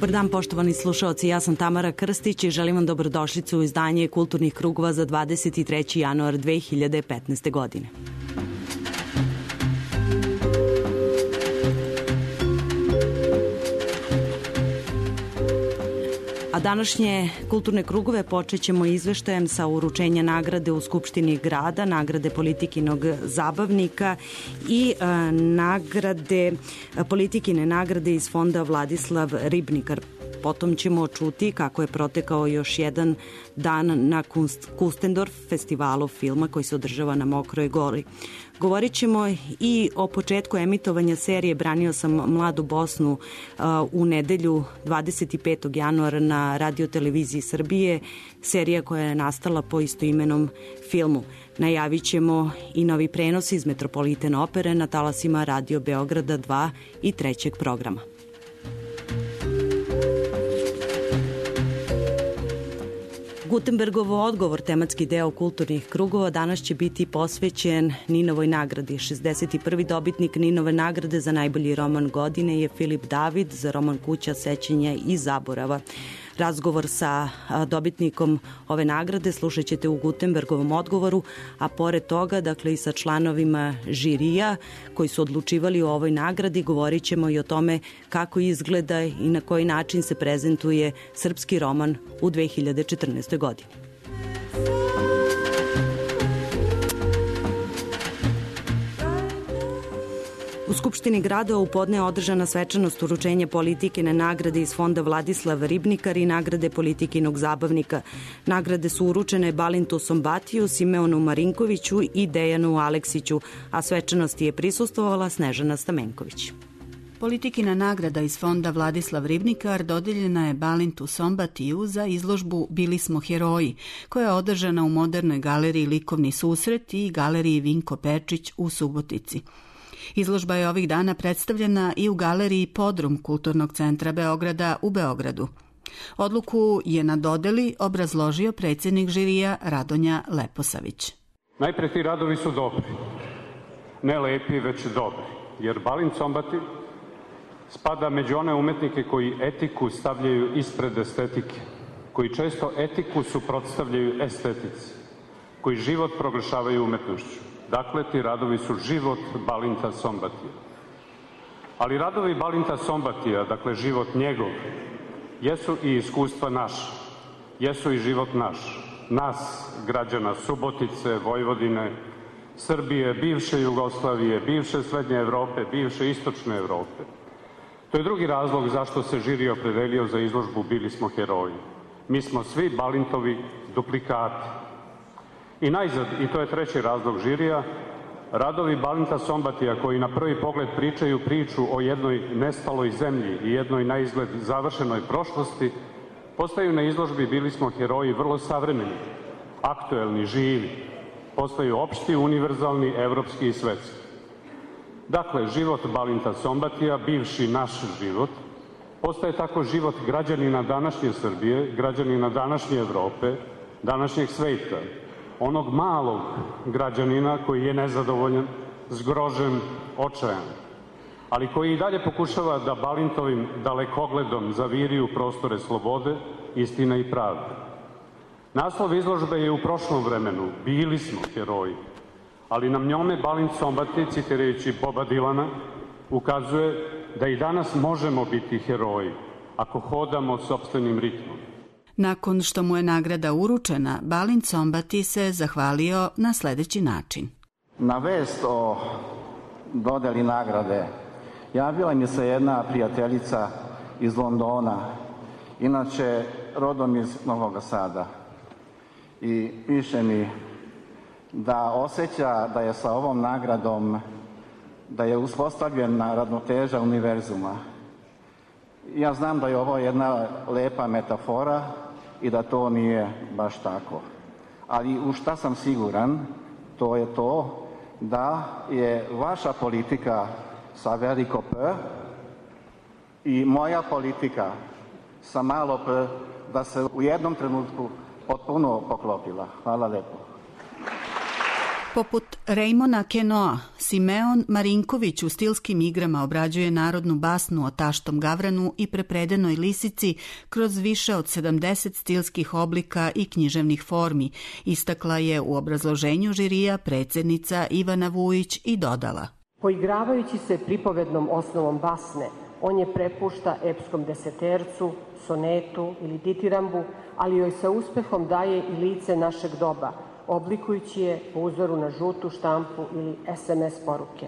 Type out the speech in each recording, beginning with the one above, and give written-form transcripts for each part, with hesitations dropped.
Dobar dan, poštovani slušaoci, ja sam Tamara Krstić i želim vam dobrodošlicu u izdanje Kulturnih krugova za 23. januar 2015. godine. A današnje kulturne krugove počet ćemo izveštajem sa uručenja nagrade u Skupštini grada, nagrade Politikinog zabavnika i politikine nagrade iz fonda Vladislav Ribnikar. Potom ćemo čuti kako je protekao još jedan dan na Kustendorf festivalu filma koji se održava na Mokroj Gori. Govorit ćemo i o početku emitovanja serije Branio sam mladu Bosnu u nedelju 25. januara na Radio-televiziji Srbije, serija koja je nastala po istoimenom filmu. Najavit ćemo i novi prenos iz Metropoliten opere na talasima Radio Beograda 2 i 3. programa. Gutenbergov odgovor, tematski deo kulturnih krugova, danas će biti posvećen Ninovoj nagradi. 61. dobitnik Ninove nagrade za najbolji roman godine je Filip David za roman Kuća sećanja i zaborava. Razgovor sa dobitnikom ove nagrade slušat ćete u Gutenbergovom odgovoru, a pored toga, dakle i sa članovima žirija koji su odlučivali o ovoj nagradi, govorit ćemo i o tome kako izgleda i na koji način se prezentuje srpski roman u 2014. godini. U Skupštini grada u podne je održana svečanost uručenja Politikine nagrade iz fonda Vladislav Ribnikar i nagrade Politikinog zabavnika. Nagrade su uručene Balintu Sombatiju, Simeonu Marinkoviću i Dejanu Aleksiću, a svečanosti je prisustvovala Snežana Stamenković. Politikina nagrada iz fonda Vladislav Ribnikar dodeljena je Balintu Sombatiju za izložbu Bili smo heroji, koja je održana u Modernoj galeriji Likovni susret i galeriji Vinko Pečić u Subotici. Izložba je ovih dana predstavljena i u galeriji Podrum Kulturnog centra Beograda u Beogradu. Odluku je na dodeli obrazložio predsjednik žirija Radonja Leposavić. Najpre ti radovi su dobri, ne lepi, već dobri, jer Balint Sombati spada među one umetnike koji etiku stavljaju ispred estetike, koji često etiku suprotstavljaju estetici, koji život proglašavaju umetnošću. Dakle, ti radovi su život Balinta Sombatija. Ali radovi Balinta Sombatija, dakle život njegov, jesu i iskustva naša, jesu i život naš, nas, građana Subotice, Vojvodine, Srbije, bivše Jugoslavije, bivše Srednje Evrope, bivše Istočne Evrope. To je drugi razlog zašto se žiri opredelio za izložbu Bili smo heroji. Mi smo svi Balintovi duplikati. I najzad, i to je treći razlog žirija, radovi Balinta Sombatija koji na prvi pogled pričaju priču o jednoj nestaloj zemlji i jednoj na izgled završenoj prošlosti, postaju na izložbi Bili smo heroji vrlo savremeni, aktuelni, živi, postaju opšti, univerzalni, evropski i svetski. Dakle, život Balinta Sombatija, bivši naš život, postaje tako život građanina današnje Srbije, građanina današnje Evrope, današnjeg sveta, onog malog građanina koji je nezadovoljan, zgrožen, očajan, ali koji i dalje pokušava da Balintovim dalekogledom zaviri u prostore slobode, istine i pravde. Naslov izložbe je u prošlom vremenu, Bili smo heroji, ali nam njome Balint Sombati, citirajući Boba Dilana, ukazuje da i danas možemo biti heroji ako hodamo sopstvenim ritmom. Nakon što mu je nagrada uručena, Balint Sombati se zahvalio na sledeći način. Na vest o dodeli nagrade javila mi se jedna prijateljica iz Londona, inače rodom iz Novog Sada, i piše mi da osjeća da je sa ovom nagradom, da je uspostavljena ravnoteža univerzuma. Ja znam da je ovo jedna lepa metafora i da to nije baš tako. Ali u šta sam siguran, to je to da je vaša politika sa veliko P i moja politika sa malo P, da se u jednom trenutku potpuno poklopila. Hvala lepo. Poput Rejmona Kenoa, Simeon Marinković u stilskim igrama obrađuje narodnu basnu o taštom gavranu i prepredenoj lisici kroz više od 70 stilskih oblika i književnih formi, istakla je u obrazloženju žirija predsjednica Ivana Vujić i dodala. Poigravajući se pripovednom osnovom basne, on je prepušta epskom desetercu, sonetu ili ditirambu, ali joj sa uspehom daje i lice našeg doba, oblikujući je po uzoru na žutu štampu ili SMS poruke.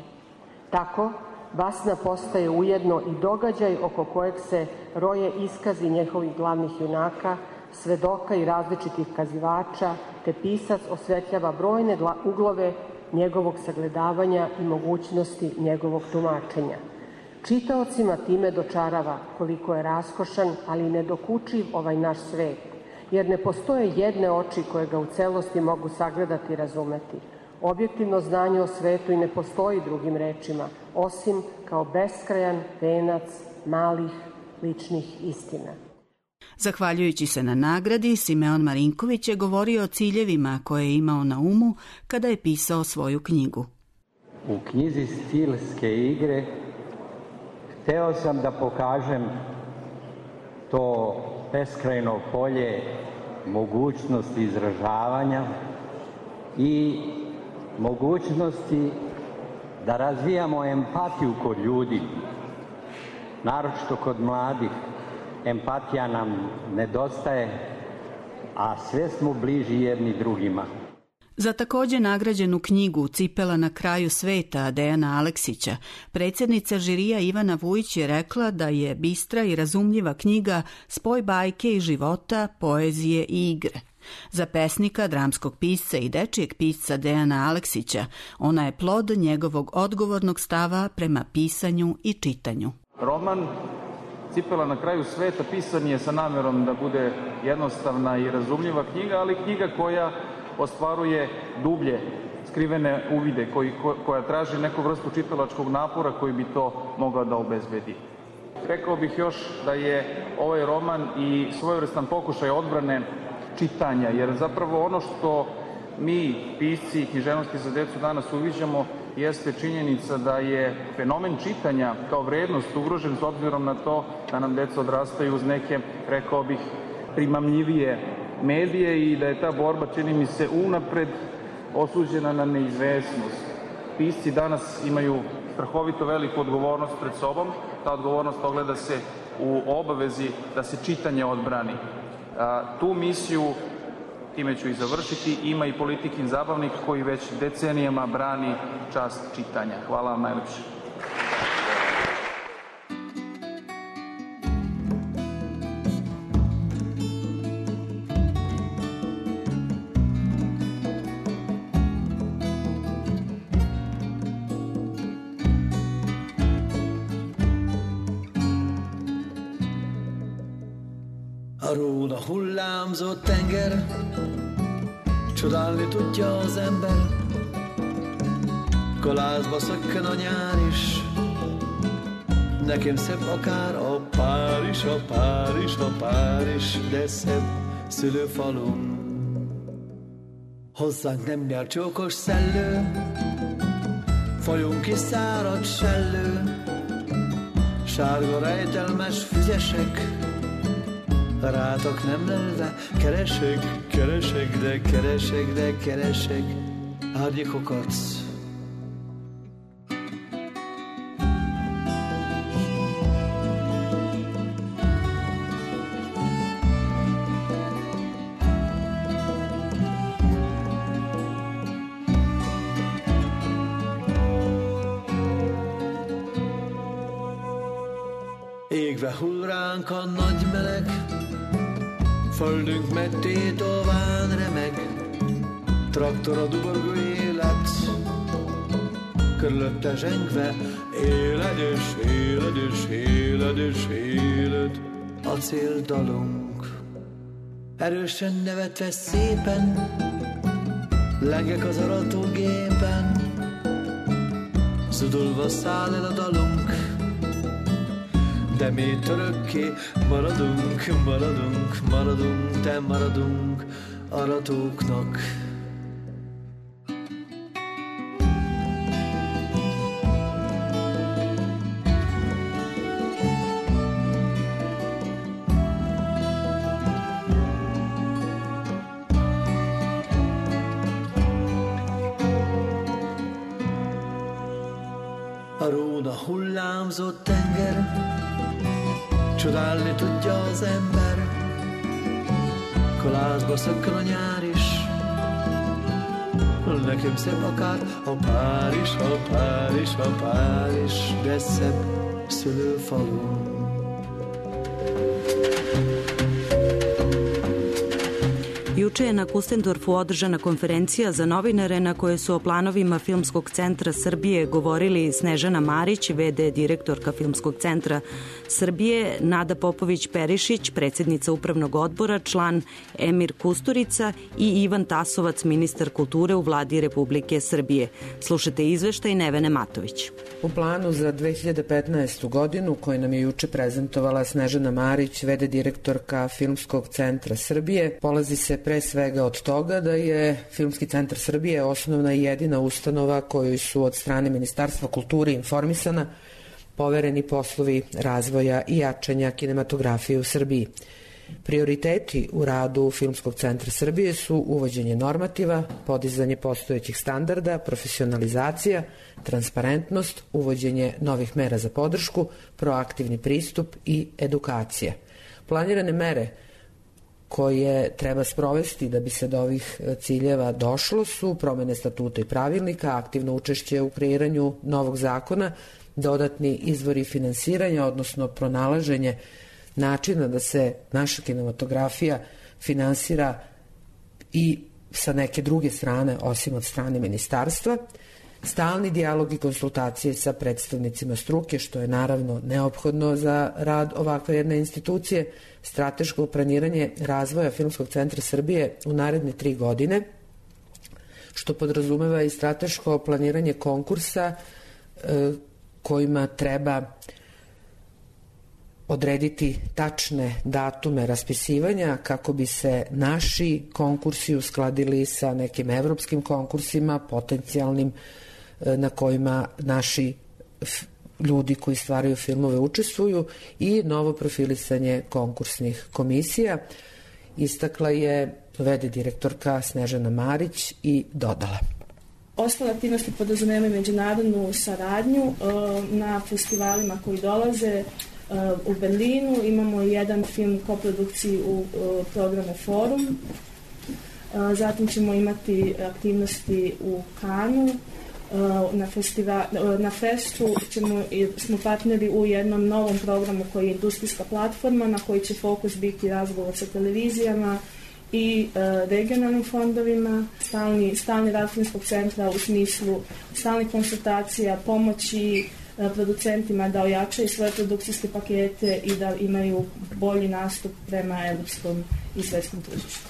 Tako, basna postaje ujedno i događaj oko kojeg se roje iskazi njihovih glavnih junaka, svedoka i različitih kazivača, te pisac osvetljava brojne uglove njegovog sagledavanja i mogućnosti njegovog tumačenja. Čitaocima time dočarava koliko je raskošan, ali i nedokučiv ovaj naš svet, jer ne postoje jedne oči koje ga u celosti mogu sagledati i razumeti. Objektivno znanje o svetu i ne postoji drugim rečima, osim kao beskrajan venac malih ličnih istina. Zahvaljujući se na nagradi, Simeon Marinković je govorio o ciljevima koje je imao na umu kada je pisao svoju knjigu. U knjizi Stilske igre hteo sam da pokažem to beskrajno polje mogućnosti izražavanja i mogućnosti da razvijamo empatiju kod ljudi, naročito kod mladih. Empatija nam nedostaje, a sve smo bliži jedni drugima. Za također nagrađenu knjigu Cipela na kraju sveta Dejana Aleksića, predsjednica žirija Ivana Vujić je rekla da je bistra i razumljiva knjiga spoj bajke i života, poezije i igre. Za pesnika, dramskog pisca i dečijeg pisca Dejana Aleksića, ona je plod njegovog odgovornog stava prema pisanju i čitanju. Roman Cipela na kraju sveta pisan je sa namjerom da bude jednostavna i razumljiva knjiga, ali knjiga koja ostvaruje dublje skrivene uvide, koja traži neku vrstu čitalačkog napora koji bi to mogla da obezbedi. Rekao bih još da je ovaj roman i svojevrstan pokušaj odbrane čitanja, jer zapravo ono što mi, pisci književnosti za decu, danas uviđamo jeste činjenica da je fenomen čitanja kao vrednost ugrožen s obzirom na to da nam deca odrastaju uz neke, rekao bih, primamljivije medije i da je ta borba, čini mi se, unapred osuđena na neizvesnost. Pisci danas imaju strahovito veliku odgovornost pred sobom. Ta odgovornost ogleda se u obavezi da se čitanje odbrani. Tu misiju, time ću i završiti, ima i Politikin zabavnik koji već decenijama brani čast čitanja. Hvala vam najlepše. A róla hullámzó tenger, csodálni tudja az ember, galázba szökken a nyár is, nekem szebb akár a Párizs, a Párizs, a Párizs, de szebb szülőfalum. Hozzánk nem jár csókos szellő, folyunk is szárad sellő, sárga rejtelmes füzesek, rátok nem lelve, keresek, keresek, de keresek, de keresek árnyékokat. Égve hull ránk a nagy meleg, földünk megtétován remeg, traktor a duborgó élet, körülötte zsengve éledős, éledős, éledős, éled, acéldalunk. Erősen nevetve szépen, lengek az aratógépen, zudulva száll el a dalunk, de mi örökké maradunk, maradunk, maradunk, de maradunk aratóknak. áramzó tenger, csodálni tudja az ember, kolázsba szökkel a nyár is. Nekem szebb akár a Párizs, a Párizs, a Párizs, de szebb szülőfalu. Juče je na Kustendorfu održana konferencija za novinare na kojoj su o planovima Filmskog centra Srbije govorili Snežana Marić, v.d. direktorka Filmskog centra Srbije, Nada Popović-Perišić, predsjednica upravnog odbora, član Emir Kusturica i Ivan Tasovac, ministar kulture u vladi Republike Srbije. Slušajte izveštaj Nevene Matović. U planu za 2015. godinu, koji nam je juče prezentovala Snežana Marić, v.d. direktorka Filmskog centra Srbije, polazi se pre svega od toga da je Filmski centar Srbije osnovna i jedina ustanova kojoj su od strane Ministarstva kulture i informisana povereni poslovi razvoja i jačanja kinematografije u Srbiji. Prioriteti u radu Filmskog centra Srbije su uvođenje normativa, podizanje postojećih standarda, profesionalizacija, transparentnost, uvođenje novih mera za podršku, proaktivni pristup i edukacija. Planirane mere koje treba sprovesti da bi se do ovih ciljeva došlo su promene statuta i pravilnika, aktivno učešće u kreiranju novog zakona, dodatni izvori finansiranja, odnosno pronalaženje načina da se naša kinematografija finansira i sa neke druge strane, osim od strane ministarstva, stalni dijalog i konsultacije sa predstavnicima struke, što je naravno neophodno za rad ovakve jedne institucije, strateško planiranje razvoja Filmskog centra Srbije u naredne 3 godine, što podrazumeva i strateško planiranje konkursa kojima treba odrediti tačne datume raspisivanja kako bi se naši konkursi uskladili sa nekim evropskim konkursima potencijalnim na kojima naši ljudi koji stvaraju filmove učestvuju i novo profilisanje konkursnih komisija. Istakla je v.d. direktorka Snežana Marić i dodala. Ostale aktivnosti podrazumevaju međunarodnu saradnju na festivalima koji dolaze. U Berlinu imamo jedan film koprodukciji u programu Forum. Zatim ćemo imati aktivnosti u Kanu. Na festu smo partneri u jednom novom programu koji je industrijska platforma na koji će fokus biti razgovor sa televizijama i regionalnim fondovima, stalni rad Filmskog centra u smislu stalnih konsultacija, pomoći producentima da ojačaju svoje produkcijske pakete i da imaju bolji nastup prema evropskom i svetskom tržištu.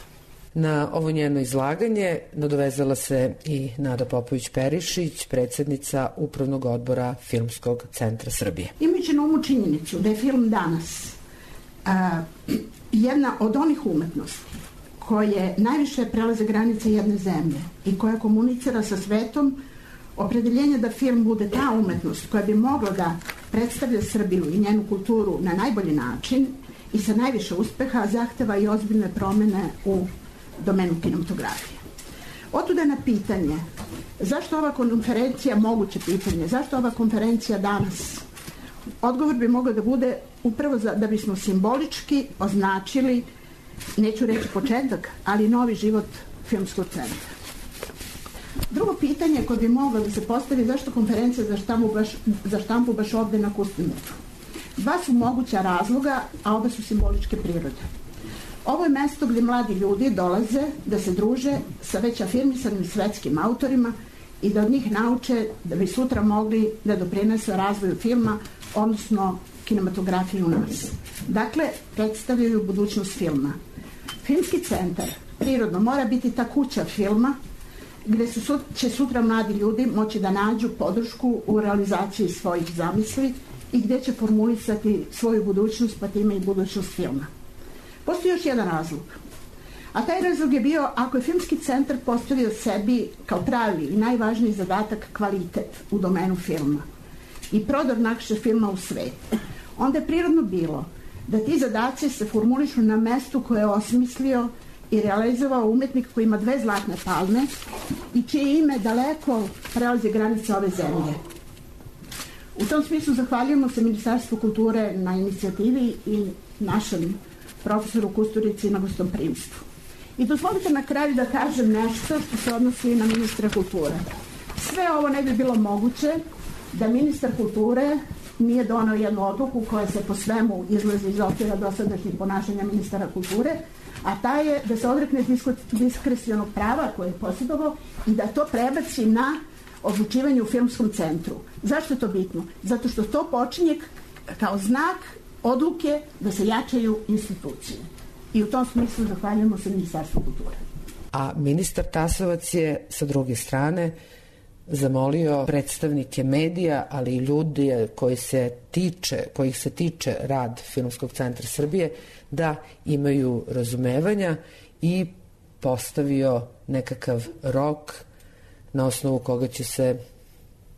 Na ovo njeno izlaganje nadovezala se i Nada Popović-Perišić, predsjednica Upravnog odbora Filmskog centra Srbije. Imajući na umu činjenicu da je film danas jedna od onih umetnosti koje najviše prelaze granice jedne zemlje i koja komunicira sa svetom, opredeljenje da film bude ta umetnost koja bi mogla da predstavlja Srbiju i njenu kulturu na najbolji način i sa najviše uspeha zahteva i ozbiljne promene u domenu kinematografije. Otuda na pitanje zašto ova konferencija, moguće pitanje, zašto ova konferencija danas? Odgovor bi mogao da bude upravo da bismo simbolički označili, neću reći početak, ali novi život Filmskog centra. Drugo pitanje koje bi moglo da se postavi zašto konferencija za štampu baš ovde na Kustendorfu. Dva su moguća razloga, a oba su simboličke prirode. Ovo je mesto gdje mladi ljudi dolaze da se druže sa već afirmisanim svetskim autorima i da od njih nauče da bi sutra mogli da doprinesu razvoju filma, odnosno kinematografiju u nas. Dakle, predstavljaju budućnost filma. Filmski centar prirodno mora biti ta kuća filma gdje će sutra mladi ljudi moći da nađu podršku u realizaciji svojih zamisli i gdje će formulisati svoju budućnost, pa time i budućnost filma. Postoji još jedan razlog. A taj razlog je bio, ako je Filmski centar postavio sebi kao pravi i najvažniji zadatak kvalitet u domenu filma i prodor našeg filma u svet, onda je prirodno bilo da ti zadaci se formulišu na mestu koje je osmislio i realizovao umetnik koji ima 2 zlatne palme i čije ime daleko prelazi granice ove zemlje. U tom smislu zahvaljujemo se Ministarstvu kulture na inicijativi i našem profesoru Kusturici na gostoprimstvu. I dozvolite na kraju da kažem nešto što se odnosi na ministra kulture. Sve ovo ne bi bilo moguće da ministar kulture nije donao jednu odluku koja se po svemu izlazi iz okvira dosadašnjih ponašanja ministara kulture, a ta je da se odrekne diskrecionog prava koje je posjedovao i da to prebaci na odlučivanje u filmskom centru. Zašto je to bitno? Zato što to počinje kao znak odluke da se jačaju institucije. I u tom smislu zahvaljujemo se Ministarstvu kulture. A ministar Tasovac je sa druge strane zamolio predstavnike medija, ali i ljudi kojih se tiče rad Filmskog centra Srbije da imaju razumevanja i postavio nekakav rok na osnovu koga će se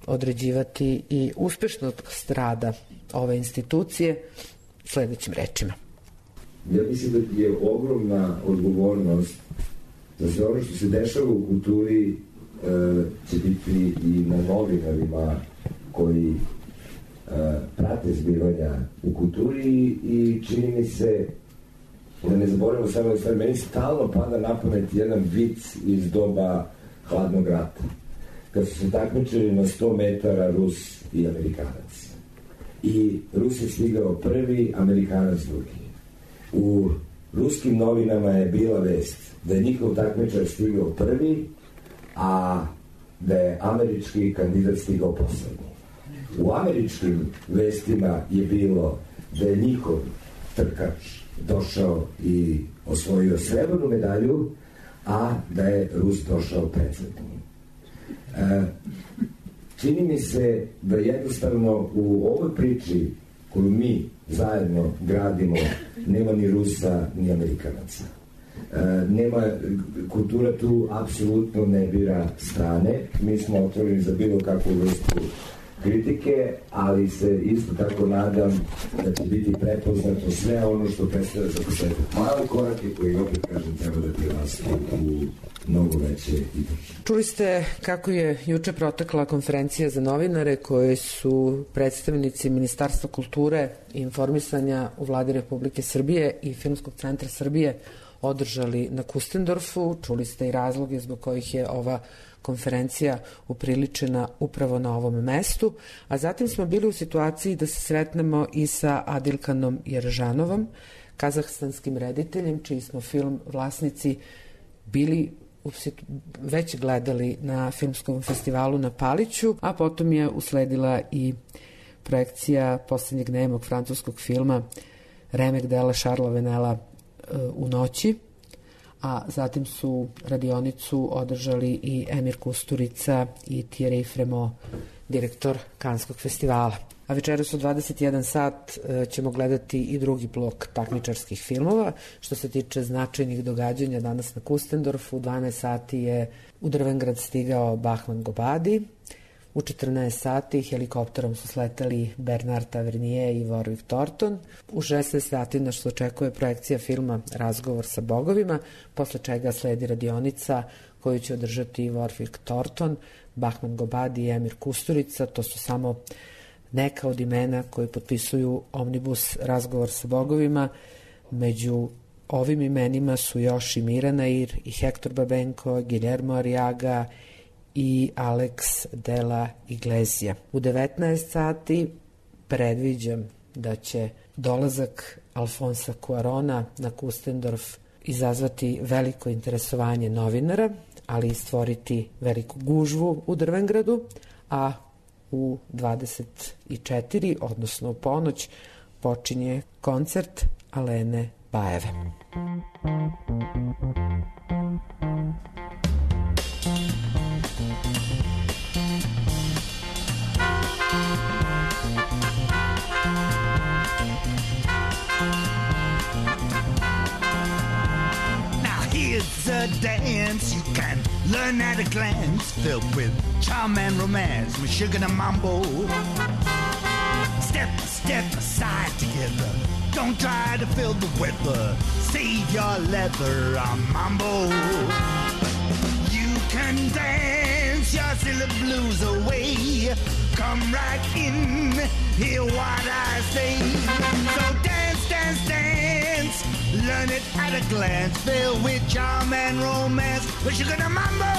određivati i uspešnost rada ove institucije sledećim rečima. Ja mislim da je ogromna odgovornost da sve ono što se dešava u kulturi će biti i na novinarima koji prate zbivanja u kulturi i čini mi se da ne zaboravimo samo stvari, meni stalno pada na pamet jedan vic iz doba hladnog rata kad su se takmičili na 100 metara Rus i Amerikanac i Rus je stigao prvi, Amerikanac drugi. U ruskim novinama je bila vest da je njihov takmičar stigao prvi, a da je američki kandidat stigao poslednji. U američkim vestima je bilo da je njihov trkač došao i osvojio srebrnu medalju, a da je Rus došao predzadnji. Čini mi se da jednostavno u ovoj priči koju mi zajedno gradimo nema ni Rusa ni Amerikanaca. Kultura tu apsolutno ne bira strane. Mi smo otvoreni za bilo kakvu vrstu kritike, ali se isto tako nadam da će biti prepoznato sve ono što predstavlja za početak male korake koji opet kažem treba da prirastu u mnogo veće i brže. Čuli ste kako je juče protekla konferencija za novinare koje su predstavnici Ministarstva kulture i informisanja u Vladi Republike Srbije i Filmskog centra Srbije održali na Kustendorfu. Čuli ste i razloge zbog kojih je ova konferencija upriličena upravo na ovom mestu, a zatim smo bili u situaciji da se sretnemo i sa Adilkanom Jeržanovom, kazahstanskim rediteljem, čiji smo film vlasnici bili već gledali na filmskom festivalu na Paliću, a potom je usledila i projekcija poslednjeg nemog francuskog filma remek dela Šarla Venela U noći, a zatim su radionicu održali i Emir Kusturica i Thierry Fremont, direktor Kanskog festivala. A večeras u 21 sat ćemo gledati i drugi blok takmičarskih filmova. Što se tiče značajnih događanja danas na Kustendorfu, u 12 sati je u Drvengrad stigao Bahman Gobadi, u 14 sati helikopterom su sletali Bernard Tavernier i Warwick Thornton. U 16 sati nas očekuje projekcija filma Razgovor sa bogovima, posle čega sledi radionica koju će održati Warwick Thornton, Bahman Gobadi i Emir Kusturica. To su samo neka od imena koji potpisuju omnibus Razgovor sa bogovima. Među ovim imenima su još i Mirana Ir, i Hector Babenko, Guillermo Arriaga i Alex de la Iglesia. U 19 sati predviđam da će dolazak Alfonsa Cuarona na Kustendorf izazvati veliko interesovanje novinara, ali i stvoriti veliku gužvu u Drvengradu, a u 24, odnosno u ponoć, počinje koncert Alene Bajeve. It's a dance you can learn at a glance, filled with charm and romance, with sugar and mambo. Step aside together. Don't try to fill the weather. Save your leather on mambo. You can dance your silly blues away. come right in, hear what I say. So dance, dance, dance, learn it at a glance, filled with charm and romance. But you're gonna mambo.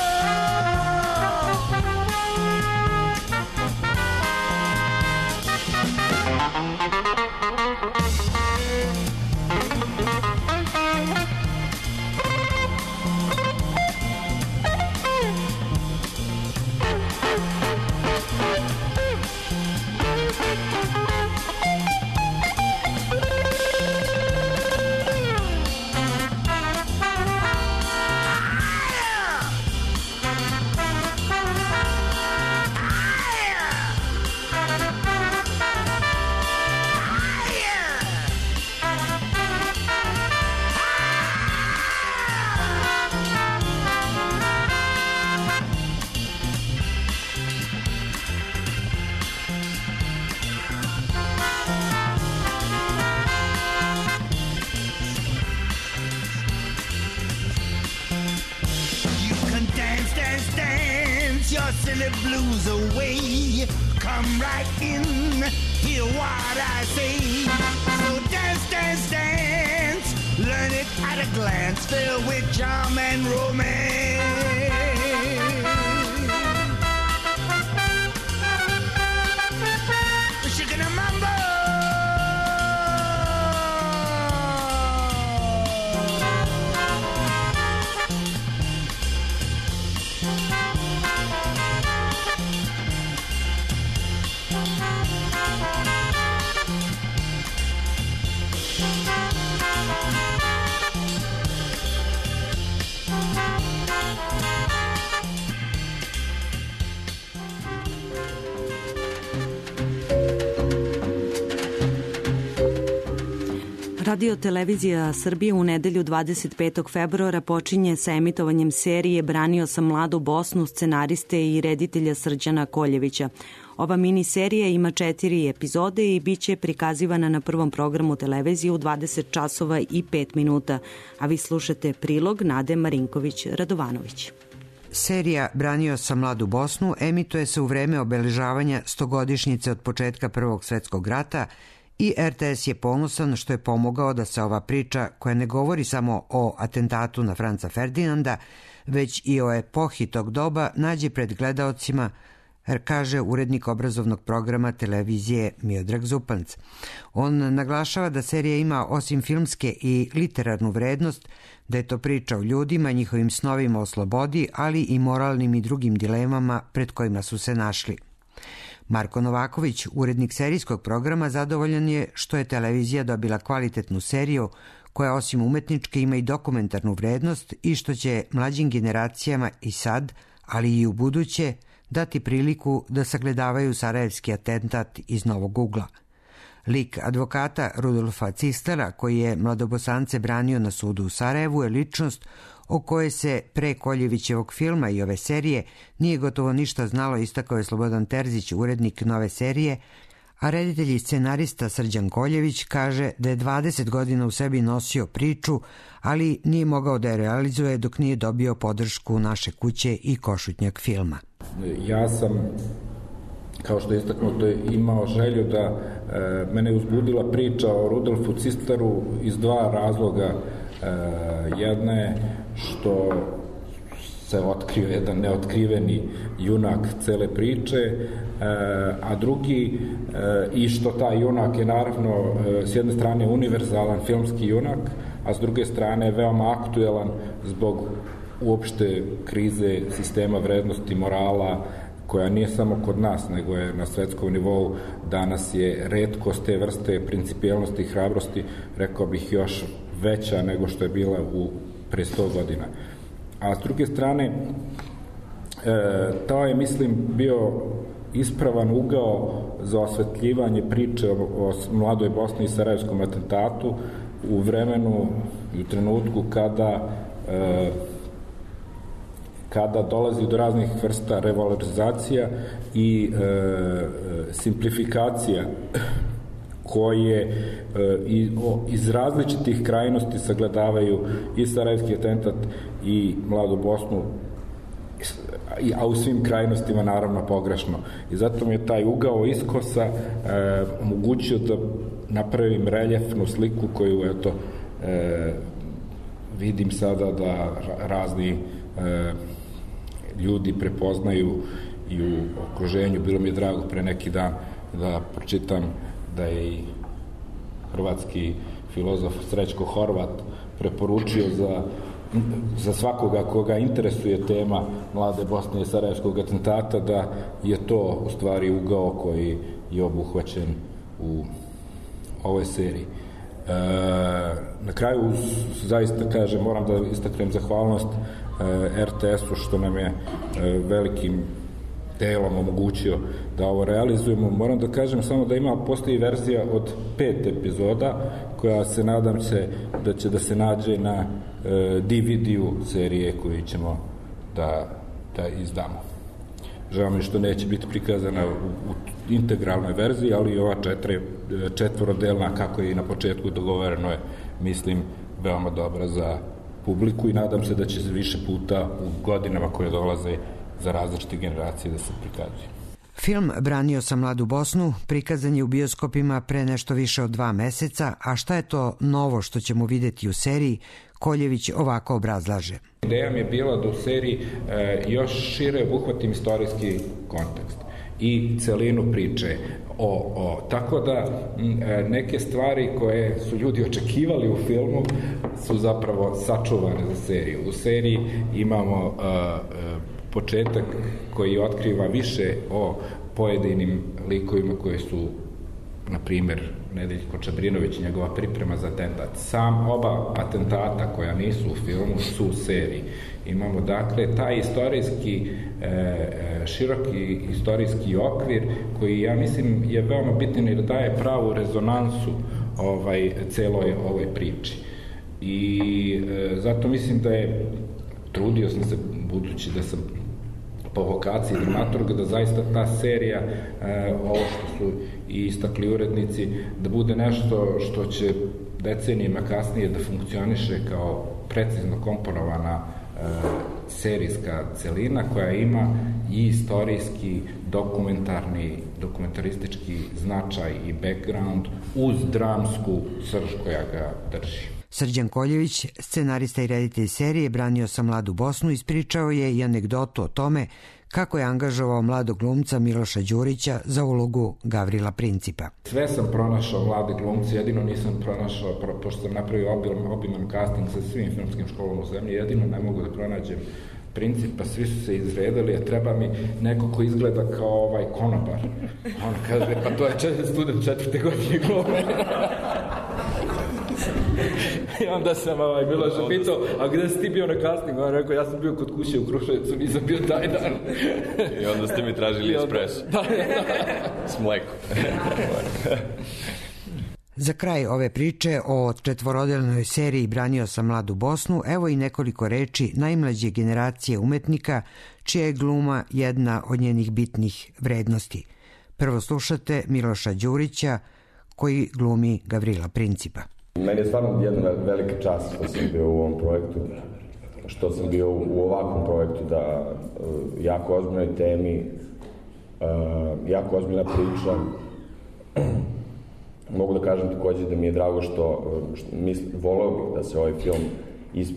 Silly blues away, come right in, hear what I say. So dance, dance, dance, learn it at a glance, filled with charm and romance. Shaking a mambo. Radio Televizija Srbije u nedelju 25. februara počinje sa emitovanjem serije Branio sam mladu Bosnu scenariste i reditelja Srđana Koljevića. Ova mini serija ima 4 epizode i bit će prikazivana na prvom programu televizije u 20 časova i 5 minuta, a vi slušate prilog Nade Marinković-Radovanović. Serija Branio sam mladu Bosnu emituje se u vreme obeležavanja 100-godišnjice od početka Prvog svetskog rata i RTS je ponosan što je pomogao da se ova priča, koja ne govori samo o atentatu na Franca Ferdinanda, već i o epohi tog doba, nađe pred gledaocima, kaže urednik obrazovnog programa televizije Miodrag Zupanc. On naglašava da serija ima osim filmske i literarnu vrednost, da je to priča o ljudima, njihovim snovima o slobodi, ali i moralnim i drugim dilemama pred kojima su se našli. Marko Novaković, urednik serijskog programa, zadovoljan je što je televizija dobila kvalitetnu seriju koja osim umetničke ima i dokumentarnu vrednost i što će mlađim generacijama i sad, ali i u buduće, dati priliku da sagledavaju sarajevski atentat iz novog ugla. Lik advokata Rudolfa Cistera, koji je mladobosance branio na sudu u Sarajevu, je ličnost o kojoj se pre Koljevićevog filma i ove serije nije gotovo ništa znalo, istakao je Slobodan Terzić, urednik nove serije, a reditelj i scenarista Srđan Koljević kaže da je 20 godina u sebi nosio priču, ali nije mogao da je realizuje dok nije dobio podršku Naše kuće i Košutnjak filma. Ja sam, kao što je istaknuto, imao želju da mene uzbudila priča o Rudolfu Cisteru iz 2 razloga. Jedna je što se otkrio jedan neotkriveni junak cele priče, a drugi i što taj junak je naravno s jedne strane univerzalan filmski junak, a s druge strane veoma aktuelan zbog uopšte krize sistema vrednosti, morala, koja nije samo kod nas, nego je na svetskom nivou. Danas je retkost te vrste principijelnosti i hrabrosti, rekao bih, još veća nego što je bila pre 100 godina. A s druge strane, to je, mislim, bio ispravan ugao za osvetljivanje priče o mladoj Bosni i sarajevskom atentatu u vremenu i u trenutku kada dolazi do raznih vrsta revalorizacija i simplifikacija koje iz različitih krajnosti sagledavaju i sarajevski atentat i mladu Bosnu, a u svim krajnostima naravno pogrešno. I zato mi je taj ugao iskosa omogućio da napravim reljefnu sliku koju eto vidim sada da razni ljudi prepoznaju i u okruženju. Bilo mi je drago pre neki dan da pročitam da je i hrvatski filozof Srećko Horvat preporučio za svakoga koga interesuje tema Mlade Bosne i Sarajevskog atentata, da je to u stvari ugao koji je obuhvaćen u ovoj seriji. Na kraju, zaista kažem, moram da istaknem zahvalnost RTS-u što nam je velikim delom omogućio da ovo realizujemo. Moram da kažem samo da postoji verzija od 5 epizoda koja se nadam se da će da se nađe na DVD-u serije koju ćemo da izdamo. Žao mi što neće biti prikazana u integralnoj verziji, ali ova četvorodelna, kako je i na početku dogovoreno, je, mislim, veoma dobra za publiku i nadam se da će se više puta u godinama koje dolaze za različite generacije da se prikazuje. Film Branio sam mladu Bosnu prikazan je u bioskopima pre nešto više od 2 meseca, a šta je to novo što ćemo videti u seriji, Koljević ovako obrazlaže. Ideja mi je bila da u seriji još šire obuhvatim istorijski kontekst i celinu priče. Tako da neke stvari koje su ljudi očekivali u filmu su zapravo sačuvane za seriju. U seriji imamo početak koji otkriva više o pojedinim likovima koji su, na primjer, Nedeljko Čabrinović, njegova priprema za atentat. Oba atentata koja nisu u filmu su u seriji. Imamo, dakle, taj istorijski, široki istorijski okvir koji, ja mislim, je veoma bitan jer daje pravu rezonansu celoj ovoj priči. I zato mislim da trudio sam se, budući da sam po vokaciji dramaturga, da zaista ta serija, ovo što su i istakli urednici, da bude nešto što će decenijima kasnije da funkcioniše kao precizno komponovana serijska celina koja ima i istorijski, dokumentaristički značaj i background uz dramsku srž koja ga drži. Srđan Koljević, scenarista i reditelj serije Branio sam mladu Bosnu, ispričao je i anegdotu o tome kako je angažovao mladog glumca Miloša Đurića za ulogu Gavrila Principa. Sve sam pronašao mlade glumce, jedino nisam pronašao, pošto sam napravio obiman casting sa svim filmskim školama u zemlji, jedino ne mogu da pronađem Principa, svi su se izredali, a treba mi neko ko izgleda kao konobar. On kaže, pa to je student 4. godine glume. I onda sam Miloša pitao, a gde si ti bio na castingu? On rekao, ja sam bio kod kuće u Kruševcu, nisam bio taj dan. I onda ste mi tražili espresso. S mlekom. Za kraj ove priče o četvorodelnoj seriji Branio sam mladu Bosnu, evo i nekoliko reči najmlađe generacije umetnika, čija je gluma jedna od njenih bitnih vrednosti. Prvo slušate Miloša Đurića, koji glumi Gavrila Principa. Meni je stvarno jedna velika čast što sam bio u ovom projektu, što sam bio u ovakvom projektu, da jako ozbiljnoj temi, jako ozbiljna priča. Mogu da kažem takođe da mi je drago što voleo bih da se ovaj film,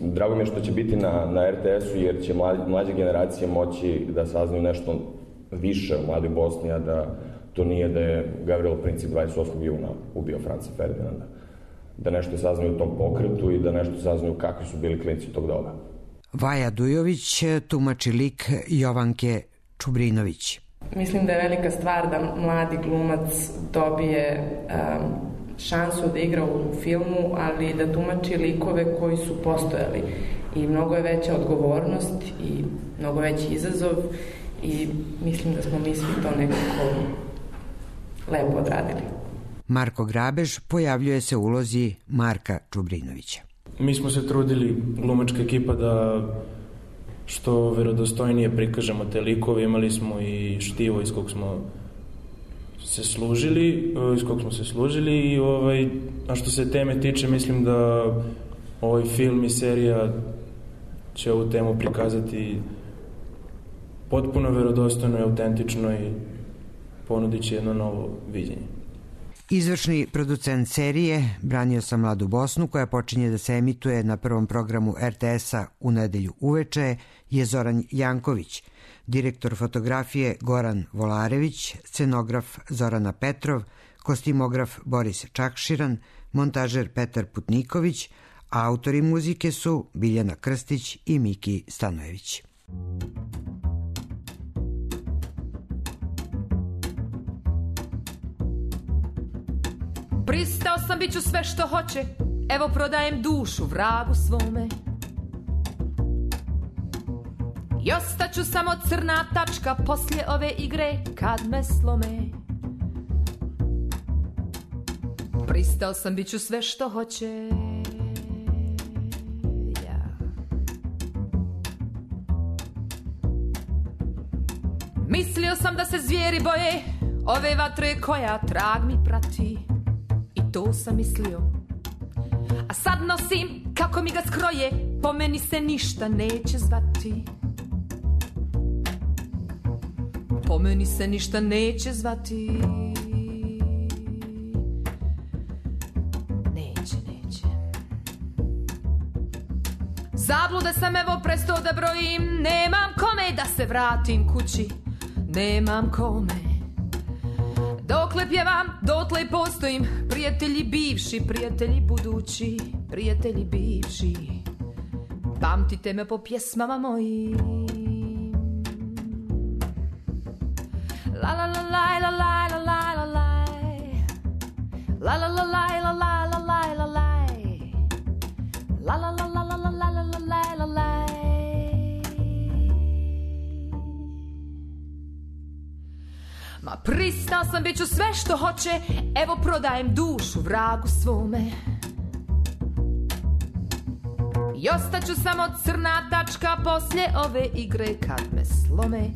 drago mi je što će biti na RTS-u, jer će mlađe generacije moći da saznaju nešto više o mladoj Bosni, a da to nije da je Gavrilo Princip 28. juna ubio Franca Ferdinanda. Da nešto saznaju o tom pokretu i da nešto saznaju kakvi su bili klinci tog doba. Vaja Dujović tumači lik Jovanke Čubrinović. Mislim da je velika stvar da mladi glumac dobije šansu da igra u filmu, ali da tumači likove koji su postojali. I mnogo je veća odgovornost i mnogo veći izazov i mislim da smo mi svi to nekako lepo odradili. Marko Grabež pojavljuje se u ulozi Marka Čubrinovića. Mi smo se trudili, glumačka ekipa, da što verodostojnije prikažemo te likove. Imali smo i štivo iz kog smo se služili i a što se teme tiče, mislim da ovaj film i serija će ovu temu prikazati potpuno verodostojno i autentično i ponudit će jedno novo viđenje. Izvršni producent serije Branio sam mladu Bosnu, koja počinje da se emituje na prvom programu RTS-a u nedelju uveče, je Zoran Janković, direktor fotografije Goran Volarević, scenograf Zorana Petrov, kostimograf Boris Čakširan, montažer Petar Putniković, a autori muzike su Biljana Krstić i Miki Stanojević. Pristao sam, bit ću sve što hoće, evo prodajem dušu vragu svome. I ostaću samo crna tačka poslije ove igre kad me slome. Pristao sam, bit ću sve što hoće. Mislio sam da se zvijeri boje ove vatre koja trag mi prati. I to sam mislio. A sad nosim kako mi ga skroje, po meni se ništa neće zvati. Po meni se ništa neće zvati. Neće. Zablude sam evo prestao da brojim, nemam kome da se vratim kući. Nemam kome. Dokle pjevam, dotle i postojim. Prijatelji bivši, prijatelji budući, prijatelji bivši. Pamtite me po pjesmama mojim. La la la la la la la la la la. La la la la la la la la la la. La la la la la la la la la la. Ma pristao sam, bit ću sve što hoće, evo prodajem dušu vragu svome. I ostaću samo crna tačka poslije ove igre kad me slome,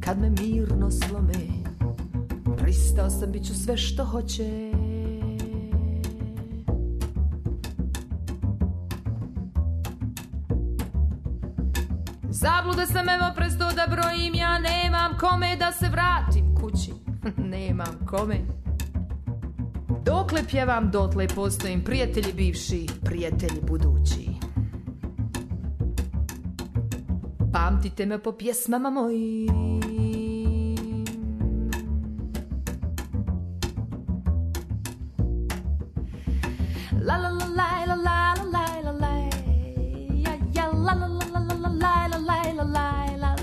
kad me mirno slome. Pristao sam, bit ću sve što hoće. Zablude sam evo prestao da brojim, ja nemam kome da se vratim kući. Nemam kome. Dokle pjevam, dotle postojim, prijatelji bivši, prijatelji budući. Pamtite me po pjesmama mojim. La la la la la la la la la. Ja ja la la la la la la la la la la.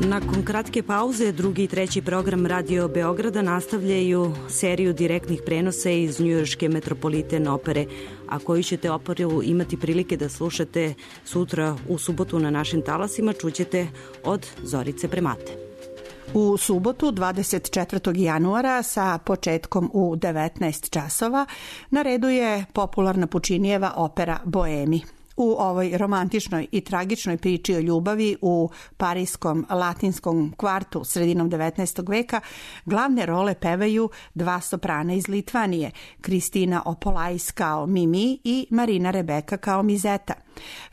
Nakon kratke pauze, drugi i treći program Radio Beograda nastavljaju seriju direktnih prenosa iz njujorške Metropolitan opere, a koju ćete operu imati prilike da slušate sutra u subotu na našim talasima, čućete od Zorice Bremate. U subotu 24. januara sa početkom u 19 časova na redu je popularna Pučinijeva opera Boemi. U ovoj romantičnoj i tragičnoj priči o ljubavi u parijskom latinskom kvartu sredinom 19. veka glavne role pevaju dva soprana iz Litvanije, Kristina Opolais kao Mimi i Marina Rebeka kao Mizeta.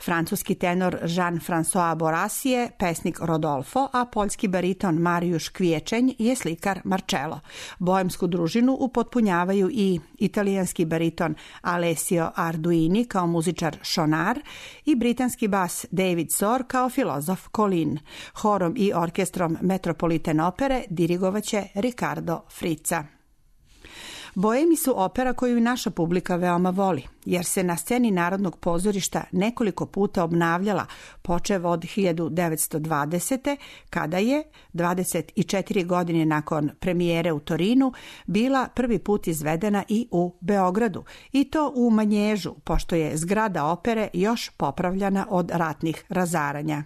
Francuski tenor Jean-François Boras je pesnik Rodolfo, a poljski bariton Marijuš Kviječenj je slikar Marcello. Boemsku družinu upotpunjavaju i italijanski bariton Alessio Arduini kao muzičar Šonar i britanski bas David Sor kao filozof Colin. Horom i orkestrom Metropolitan opere dirigovaće Ricardo Frizza. Boemi su opera koju i naša publika veoma voli, jer se na sceni Narodnog pozorišta nekoliko puta obnavljala, počev od 1920. kada je, 24 godine nakon premijere u Torinu, bila prvi put izvedena i u Beogradu, i to u Manježu, pošto je zgrada opere još popravljana od ratnih razaranja.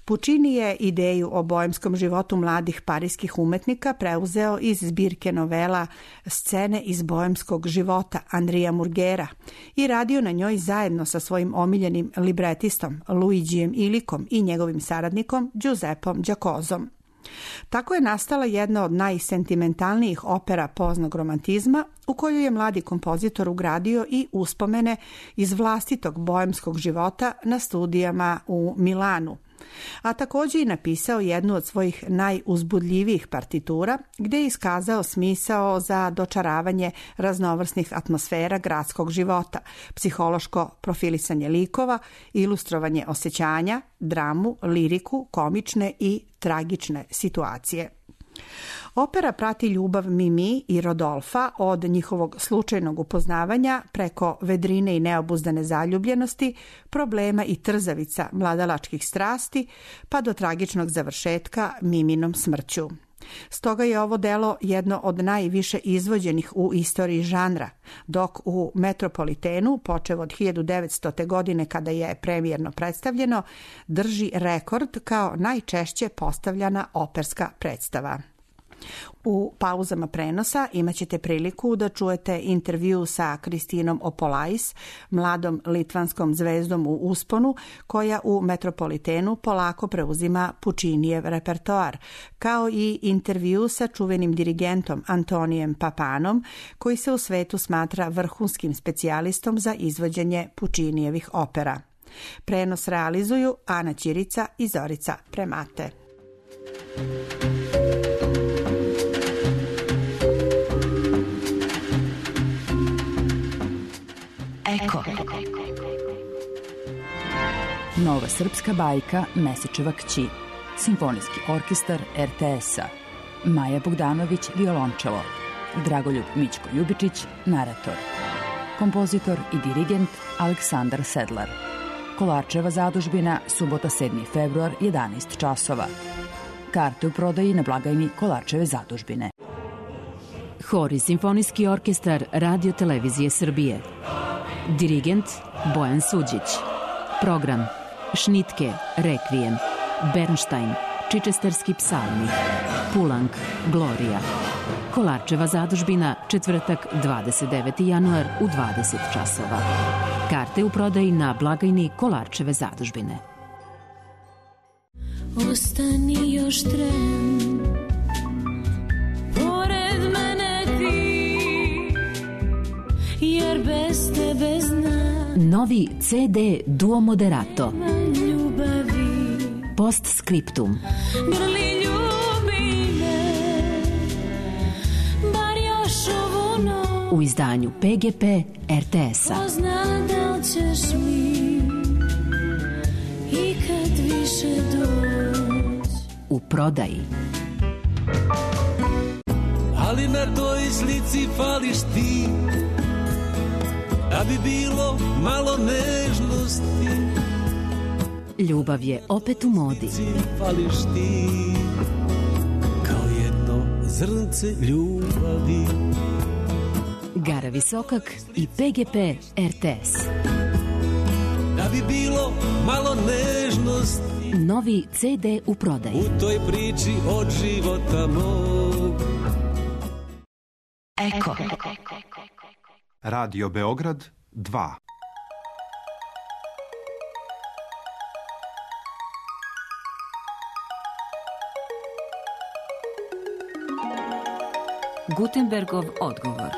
Puccini je ideju o boemskom životu mladih parijskih umetnika preuzeo iz zbirke novela Scene iz boemskog života Andrija Murgera i radio na njoj zajedno sa svojim omiljenim libretistom Luigijem Ilikom i njegovim saradnikom Giuseppom Giacozom. Tako je nastala jedna od najsentimentalnijih opera poznog romantizma u koju je mladi kompozitor ugradio i uspomene iz vlastitog boemskog života na studijama u Milanu, a također i napisao jednu od svojih najuzbudljivijih partitura gdje je iskazao smisao za dočaravanje raznovrsnih atmosfera gradskog života, psihološko profilisanje likova, ilustrovanje osjećanja, dramu, liriku, komične i tragične situacije. Opera prati ljubav Mimi i Rodolfa od njihovog slučajnog upoznavanja preko vedrine i neobuzdane zaljubljenosti, problema i trzavica mladalačkih strasti, pa do tragičnog završetka Miminom smrću. Stoga je ovo delo jedno od najviše izvođenih u istoriji žanra, dok u Metropolitenu, počev od 1900. godine kada je premijerno predstavljeno, drži rekord kao najčešće postavljana operska predstava. U pauzama prenosa imat ćete priliku da čujete intervju sa Kristinom Opolais, mladom litvanskom zvezdom u usponu, koja u Metropolitenu polako preuzima Puccinijev repertoar, kao i intervju sa čuvenim dirigentom Antonijem Papanom, koji se u svetu smatra vrhunskim specijalistom za izvođenje Puccinijevih opera. Prenos realizuju Ana Ćirica i Zorica Premate. Eko. Nova srpska bajka Mesečeva kći. Simfonijski orkestar RTS-a. Maja Bogdanović, violončelo. Dragoljub Mićko Ljubičić, narator. Kompozitor i dirigent Aleksandar Sedlar. Kolarčeva zadužbina, subota 7. februar, 11 časova. Karte u prodaji na blagajni Kolarčeve zadužbine. Hor i simfonijski orkestar Radio Televizije Srbije. Dirigent Bojan Suđić. Program Šnitke, Rekvijem, Bernštajn, Čičesterski psalmi, Pulang, Glorija. Kolarčeva zadužbina, četvrtak 29. januar u 20 časova. Karte u prodaji na blagajni Kolarčeve zadužbine. Ostani još tren, pored mene ti, jer bez tebe znam. Novi CD Duo Moderato. Ljubavi. Postscriptum. Grli ljubi me, bar još ovu noć. U izdanju PGP RTS-a. Ko zna da li ćeš mi ikad više doć. U prodaji. Ali na toj slici fališ ti, da bi bilo malo nežnosti. Ljubav je opet u modi. Fališ ti, kao jedno zrnce ljubavi. Gara Visokak i PGP RTS. Da bi bilo malo nežnosti. Novi CD u prodaji. U toj priči od života mog. Eko. Radio Beograd 2. Gutenbergov odgovor.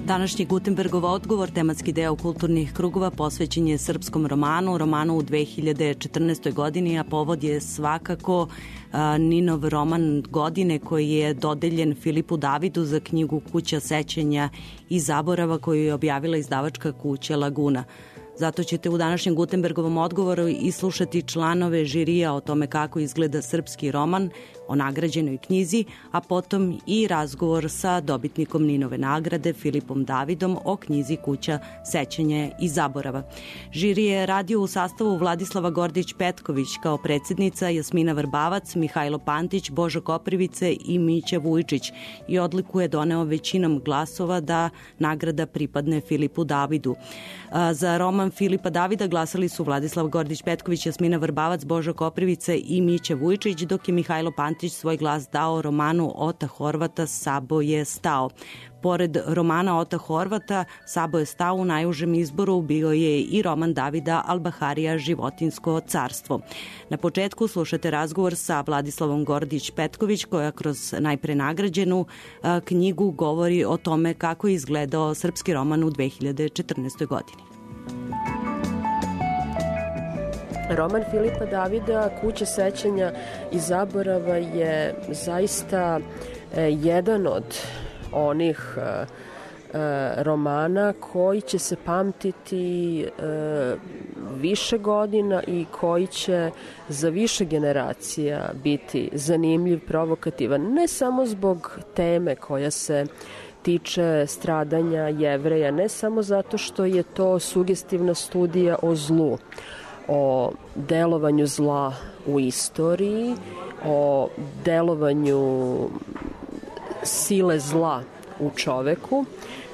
Današnji Gutenbergov odgovor, tematski deo kulturnih krugova, posvećen je srpskom romanu u 2014. godini, a povod je svakako Ninov roman godine koji je dodeljen Filipu Davidu za knjigu Kuća sećanja i zaborava koju je objavila izdavačka kuća Laguna. Zato ćete u današnjem Gutenbergovom odgovoru islušati članove žirija o tome kako izgleda srpski roman, o nagrađenoj knjizi, a potom i razgovor sa dobitnikom Ninove nagrade Filipom Davidom o knjizi Kuća sećanja i zaborava. Žiri je radio u sastavu Vladislava Gordić-Petković kao predsjednica, Jasmina Vrbavac, Mihajlo Pantić, Božo Koprivice i Mića Vujčić i odliku je doneo većinom glasova da nagrada pripadne Filipu Davidu. Za roman Filipa Davida glasali su Vladislav Gordić-Petković, Jasmina Vrbavac, Božo Koprivice i Mića Vujčić, dok je Mihajlo Pantić svoj glas dao romanu Ota Horvata Sabo je stao. Pored romana Ota Horvata, Sabo je stao u najužem izboru bio je i roman Davida Albaharija Životinsko carstvo. Na početku slušate razgovor sa Vladislavom Gordić-Petković koja kroz najpre nagrađenu knjigu govori o tome kako je izgledao srpski roman u 2014. godini. Roman Filipa Davida, Kuća sećanja i zaborava je zaista jedan od onih romana koji će se pamtiti više godina i koji će za više generacija biti zanimljiv, provokativan, ne samo zbog teme koja se tiče stradanja Jevreja, ne samo zato što je to sugestivna studija o zlu, o delovanju zla u istoriji, o delovanju sile zla u čoveku,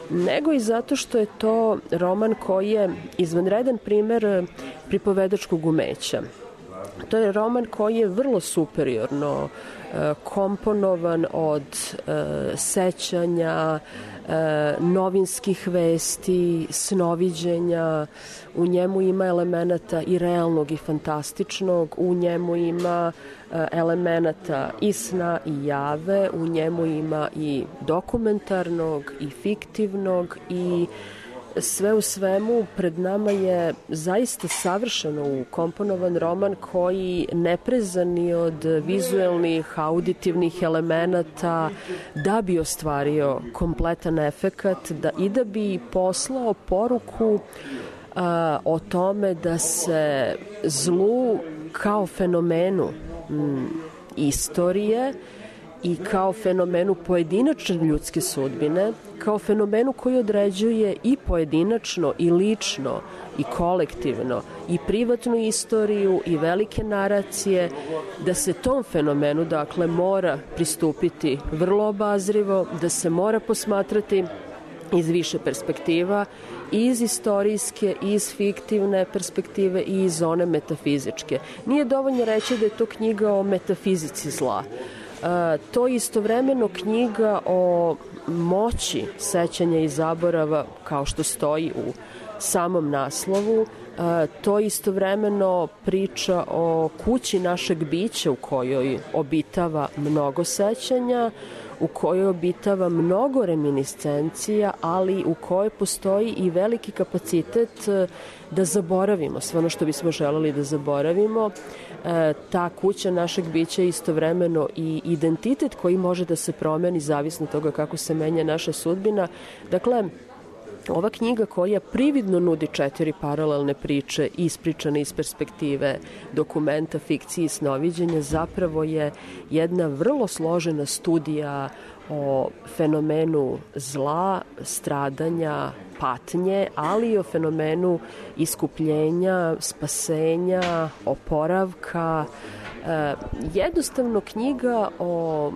nego i zato što je to roman koji je izvanredan primer pripovedačkog umeća. To je roman koji je vrlo superiorno komponovan od sećanja, novinskih vesti, snoviđenja. U njemu ima elemenata i realnog i fantastičnog, u njemu ima elemenata i sna i jave, u njemu ima i dokumentarnog i fiktivnog i sve u svemu pred nama je zaista savršeno ukomponovan roman koji ne preza ni od vizuelnih, auditivnih elemenata da bi ostvario kompletan efekat i da bi poslao poruku o tome da se zlu kao fenomenu istorije i kao fenomenu pojedinačne ljudske sudbine, kao fenomenu koji određuje i pojedinačno i lično i kolektivno i privatnu istoriju i velike naracije, da se tom fenomenu dakle mora pristupiti vrlo obazrivo, da se mora posmatrati iz više perspektiva, i iz istorijske, i iz fiktivne perspektive i iz one metafizičke. Nije dovoljno reći da je to knjiga o metafizici zla. To je istovremeno knjiga o moći sećanja i zaborava, kao što stoji u samom naslovu. To je istovremeno priča o kući našeg bića u kojoj obitava mnogo sećanja, u kojoj obitava mnogo reminiscencija, ali u kojoj postoji i veliki kapacitet da zaboravimo sve ono što bismo želeli da zaboravimo. Ta kuća našeg bića je istovremeno i identitet koji može da se promeni zavisno toga kako se menja naša sudbina. Dakle, ova knjiga koja prividno nudi 4 paralelne priče ispričane iz perspektive dokumenta, fikcije i snoviđenja zapravo je jedna vrlo složena studija o fenomenu zla, stradanja, patnje, ali i o fenomenu iskupljenja, spasenja, oporavka. Jednostavno knjiga o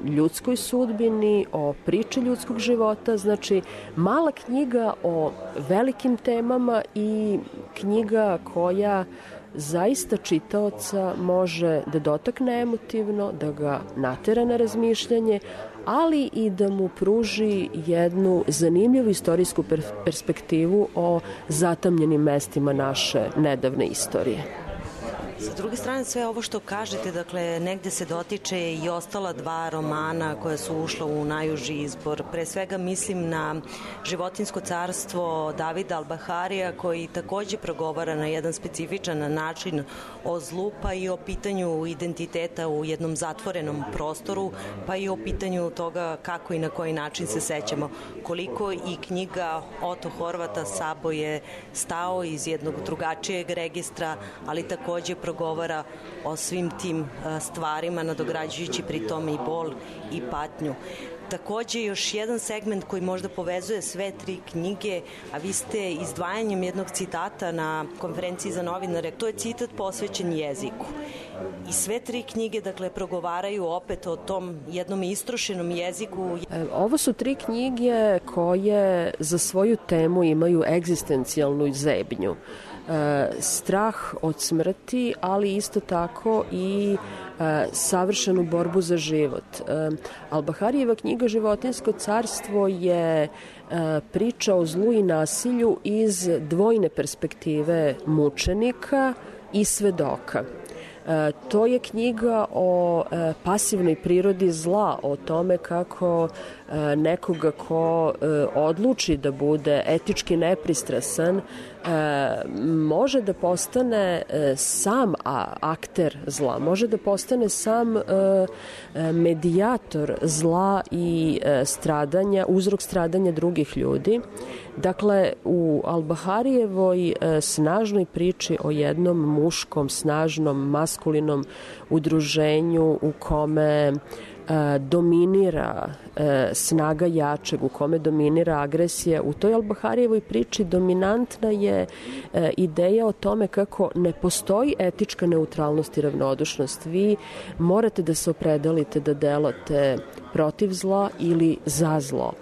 ljudskoj sudbini, o priči ljudskog života, znači mala knjiga o velikim temama i knjiga koja zaista čitaoca može da dotakne emotivno, da ga natera na razmišljanje, ali i da mu pruži jednu zanimljivu istorijsku perspektivu o zatamljenim mestima naše nedavne istorije. Sa druge strane, sve ovo što kažete, dakle, negde se dotiče i ostala 2 romana koja su ušla u najuži izbor. Pre svega mislim na Životinjsko carstvo Davida Al-Baharija, koji takođe progovara na jedan specifičan način o zlu, pa i o pitanju identiteta u jednom zatvorenom prostoru, pa i o pitanju toga kako i na koji način se sećamo. Koliko i knjiga Oto Horvata Sabo je stao iz jednog drugačijeg registra, ali takođe progovara o svim tim stvarima, nadograđujući pri tome i bol i patnju. Takođe, još jedan segment koji možda povezuje sve 3 knjige, a vi ste izdvajanjem jednog citata na konferenciji za novinare, to je citat posvećen jeziku. I sve 3 knjige, dakle, progovaraju opet o tom jednom istrošenom jeziku. Ovo su 3 knjige koje za svoju temu imaju egzistencijalnu zebnju. Strah od smrti, ali isto tako i savršenu borbu za život. Al-Baharijeva knjiga Životinjsko carstvo je priča o zlu i nasilju iz dvojne perspektive mučenika i svedoka. To je knjiga o pasivnoj prirodi zla, o tome kako nekoga ko odluči da bude etički nepristrasan može da postane sam akter zla, može da postane sam medijator zla i stradanja, uzrok stradanja drugih ljudi. Dakle, u Al-Baharijevoj snažnoj priči o jednom muškom, snažnom, maskulinom udruženju u kome dominira snaga jačeg, u kome dominira agresija. U toj Al-Baharijevoj priči dominantna je ideja o tome kako ne postoji etička neutralnost i ravnodušnost. Vi morate da se opredelite da delate protiv zla ili za zlo.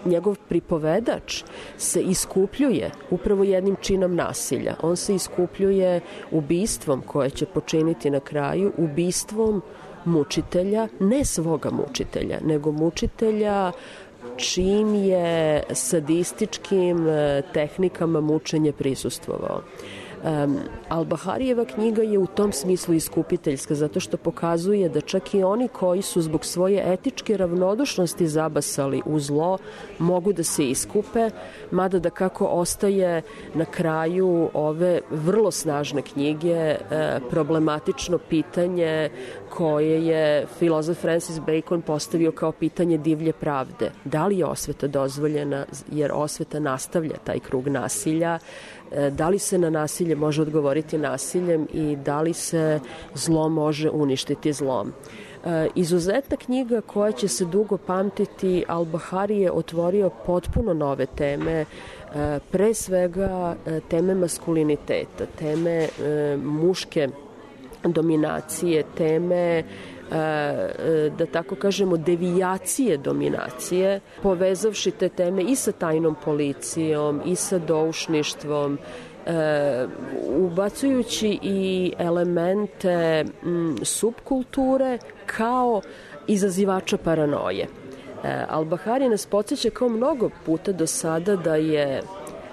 Njegov pripovedač se iskupljuje upravo jednim činom nasilja. On se iskupljuje ubistvom koje će počiniti na kraju, ubistvom mučitelja, ne svoga mučitelja, nego mučitelja čim je sadističkim tehnikama mučenja prisustvovao. Al-Baharijeva knjiga je u tom smislu iskupiteljska, zato što pokazuje da čak i oni koji su zbog svoje etičke ravnodušnosti zabasali u zlo, mogu da se iskupe, mada da kako ostaje na kraju ove vrlo snažne knjige problematično pitanje koje je filozof Francis Bacon postavio kao pitanje divlje pravde. Da li je osveta dozvoljena, jer osveta nastavlja taj krug nasilja, da li se na nasilje može odgovoriti nasiljem i da li se zlo može uništiti zlom. Izuzetna knjiga koja će se dugo pamtiti, Al-Bahari je otvorio potpuno nove teme, pre svega teme maskuliniteta, teme muške dominacije, teme da tako kažemo devijacije dominacije, povezavši te teme i sa tajnom policijom i sa doušništvom, ubacujući i elemente subkulture kao izazivača paranoje. Al-Bahari nas podsjeća kao mnogo puta do sada da je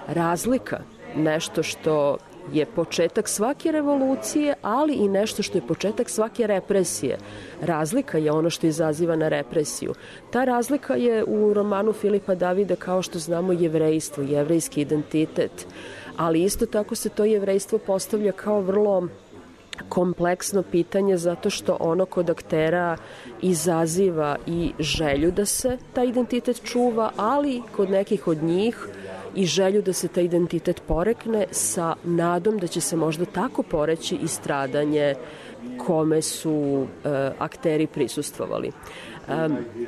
razlika nešto što je početak svake revolucije, ali i nešto što je početak svake represije. Razlika je ono što izaziva na represiju. Ta razlika je u romanu Filipa Davida, kao što znamo, jevrejstvo, jevrejski identitet, ali isto tako se to jevrejstvo postavlja kao vrlo kompleksno pitanje, zato što ono kod aktera izaziva i želju da se taj identitet čuva, ali kod nekih od njih i želju da se taj identitet porekne sa nadom da će se možda tako poreći i stradanje kome su akteri prisustvovali.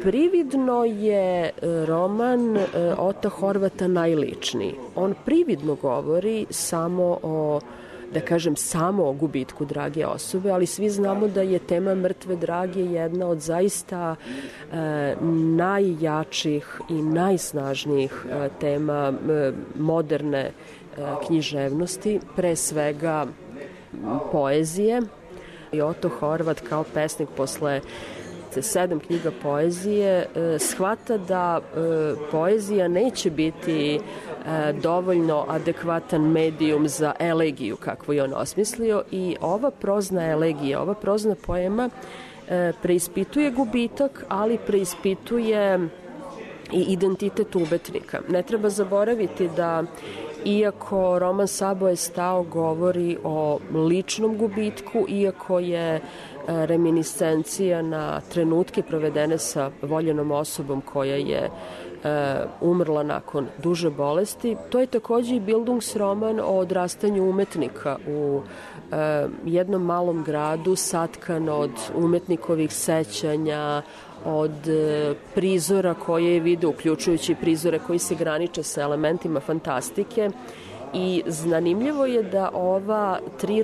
Prividno je roman Ota Horvata najličniji. On prividno govori samo o, da kažem, samo o gubitku drage osobe, ali svi znamo da je tema mrtve drage jedna od zaista najjačih i najsnažnijih tema moderne književnosti, pre svega poezije. I Oto Horvat kao pesnik posle 7 knjiga poezije shvata da poezija neće biti dovoljno adekvatan medijum za elegiju kakvu je on osmislio i ova prozna elegija, ova prozna poema preispituje gubitak, ali preispituje i identitet umetnika. Ne treba zaboraviti da iako roman Sabo je stao govori o ličnom gubitku, iako je reminiscencija na trenutke provedene sa voljenom osobom koja je umrla nakon duže bolesti, to je takođe i Bildungsroman o odrastanju umetnika u jednom malom gradu satkan od umetnikovih sećanja, od prizora koje je video, uključujući prizore koji se graniče sa elementima fantastike. I zanimljivo je da ova 3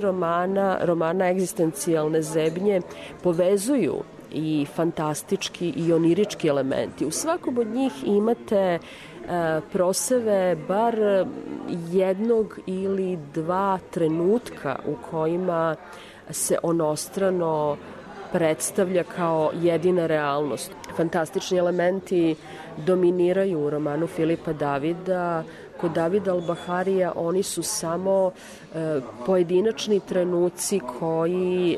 romana egzistencijalne zebnje povezuju i fantastički i onirički elementi. U svakom od njih imate proseve bar jednog ili 2 trenutka u kojima se onostrano predstavlja kao jedina realnost. Fantastični elementi dominiraju u romanu Filipa Davida. Kod Davida Al-Baharija oni su samo pojedinačni trenuci koji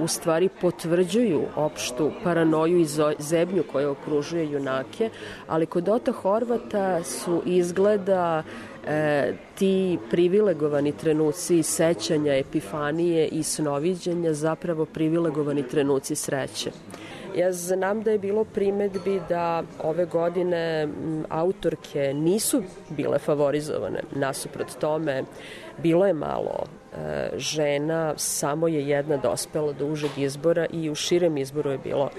u stvari potvrđuju opštu paranoju i zebnju koja okružuje junake, ali kod Ota Horvata su izgleda ti privilegovani trenuci sećanja, epifanije i snoviđenja zapravo privilegovani trenuci sreće. Ja znam da je bilo primedbi da ove godine autorke nisu bile favorizovane. Nasuprot tome, bilo je malo žena, samo je jedna dospela do užeg izbora i u širem izboru je bilo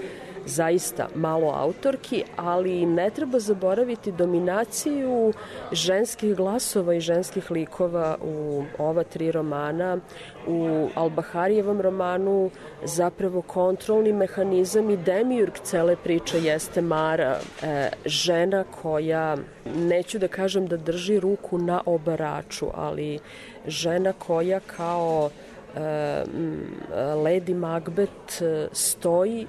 zaista malo autorki, ali ne treba zaboraviti dominaciju ženskih glasova i ženskih likova u ova 3 romana. U Al-Baharijevom romanu zapravo kontrolni mehanizam i demiurg cele priče jeste Mara, žena koja, neću da kažem da drži ruku na obaraču, ali žena koja kao Lady Macbeth stoji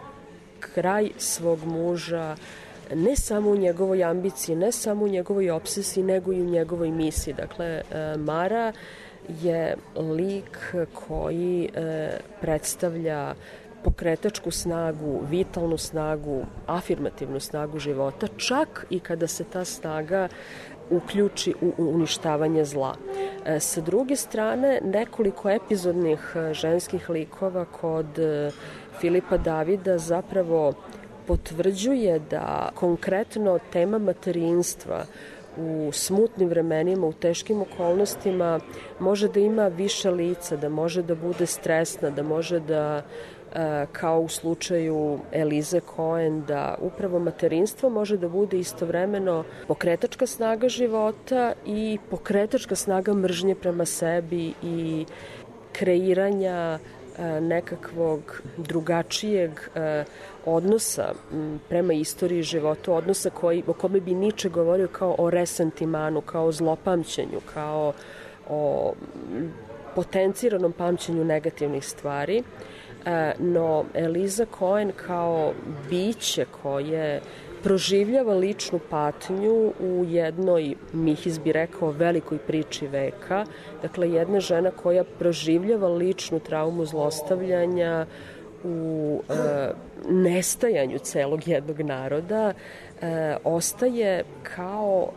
kraj svog muža, ne samo u njegovoj ambiciji, ne samo u njegovoj obsesiji, nego i u njegovoj misiji. Dakle, Mara je lik koji predstavlja pokretačku snagu, vitalnu snagu, afirmativnu snagu života, čak i kada se ta snaga uključi u uništavanje zla. Sa druge strane, nekoliko epizodnih ženskih likova kod Filipa Davida zapravo potvrđuje da konkretno tema materinstva u smutnim vremenima, u teškim okolnostima može da ima više lica, da može da bude stresna, da može da, kao u slučaju Elize Cohen, da upravo materinstvo može da bude istovremeno pokretačka snaga života i pokretačka snaga mržnje prema sebi i kreiranja nekakvog drugačijeg odnosa prema istoriji života, odnosa o kome bi Nietzsche govorio kao o resentimanu, kao o zlopamćenju, kao o potenciranom pamćenju negativnih stvari. No Eliza Cohen kao biće koje proživljava ličnu patnju u jednoj, Mihis bi rekao, velikoj priči veka. Dakle, jedna žena koja proživljava ličnu traumu zlostavljanja u nestajanju celog jednog naroda, ostaje kao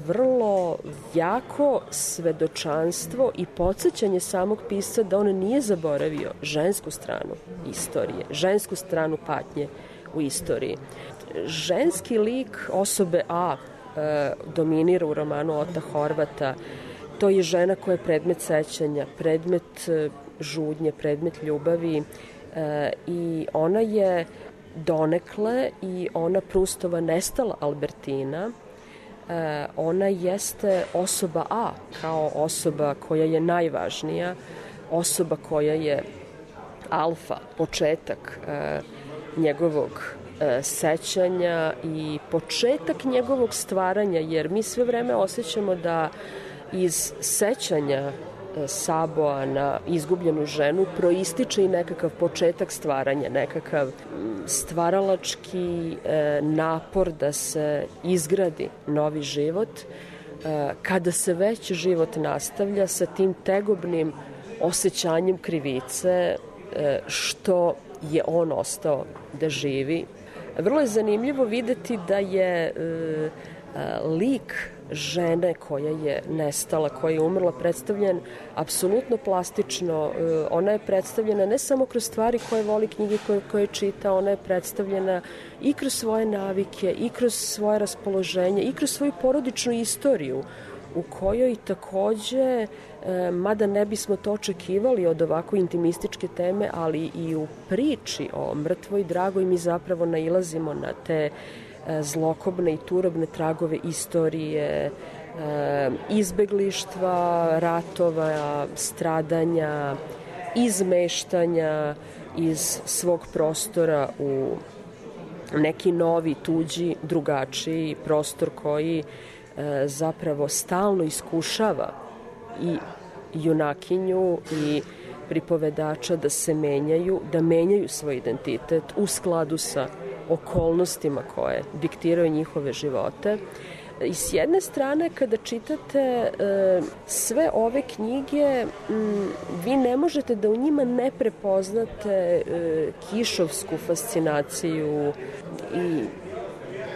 vrlo jako svedočanstvo i podsjećanje samog pisca da on nije zaboravio žensku stranu istorije, žensku stranu patnje u istoriji. Ženski lik osobe A dominira u romanu Ota Horvata. To je žena koja je predmet sećanja, predmet žudnje, predmet ljubavi i ona je donekle i ona Prustova nestala Albertina. Ona jeste osoba A kao osoba koja je najvažnija, osoba koja je alfa, početak njegovog sećanja i početak njegovog stvaranja, jer mi sve vreme osjećamo da iz sećanja Saboa na izgubljenu ženu proističe i nekakav početak stvaranja, nekakav stvaralački napor da se izgradi novi život. kada se već život nastavlja sa tim tegobnim osjećanjem krivice što je on ostao da živi. Vrlo je zanimljivo videti da je lik žene koja je nestala, koja je umrla, predstavljen apsolutno plastično. Ona je predstavljena ne samo kroz stvari koje voli, knjige koje čita, ona je predstavljena i kroz svoje navike, i kroz svoje raspoloženje, i kroz svoju porodičnu istoriju, u kojoj takođe, mada ne bismo to očekivali od ovako intimističke teme, ali i u priči o mrtvoj dragoj mi zapravo nailazimo na te zlokobne i turobne tragove istorije, izbeglištva, ratova, stradanja, izmeštanja iz svog prostora u neki novi, tuđi, drugačiji prostor koji zapravo stalno iskušava i junakinju i pripovedača da se menjaju, da menjaju svoj identitet u skladu sa okolnostima koje diktiraju njihove živote. I s jedne strane, kada čitate sve ove knjige, vi ne možete da u njima ne prepoznate kišovsku fascinaciju i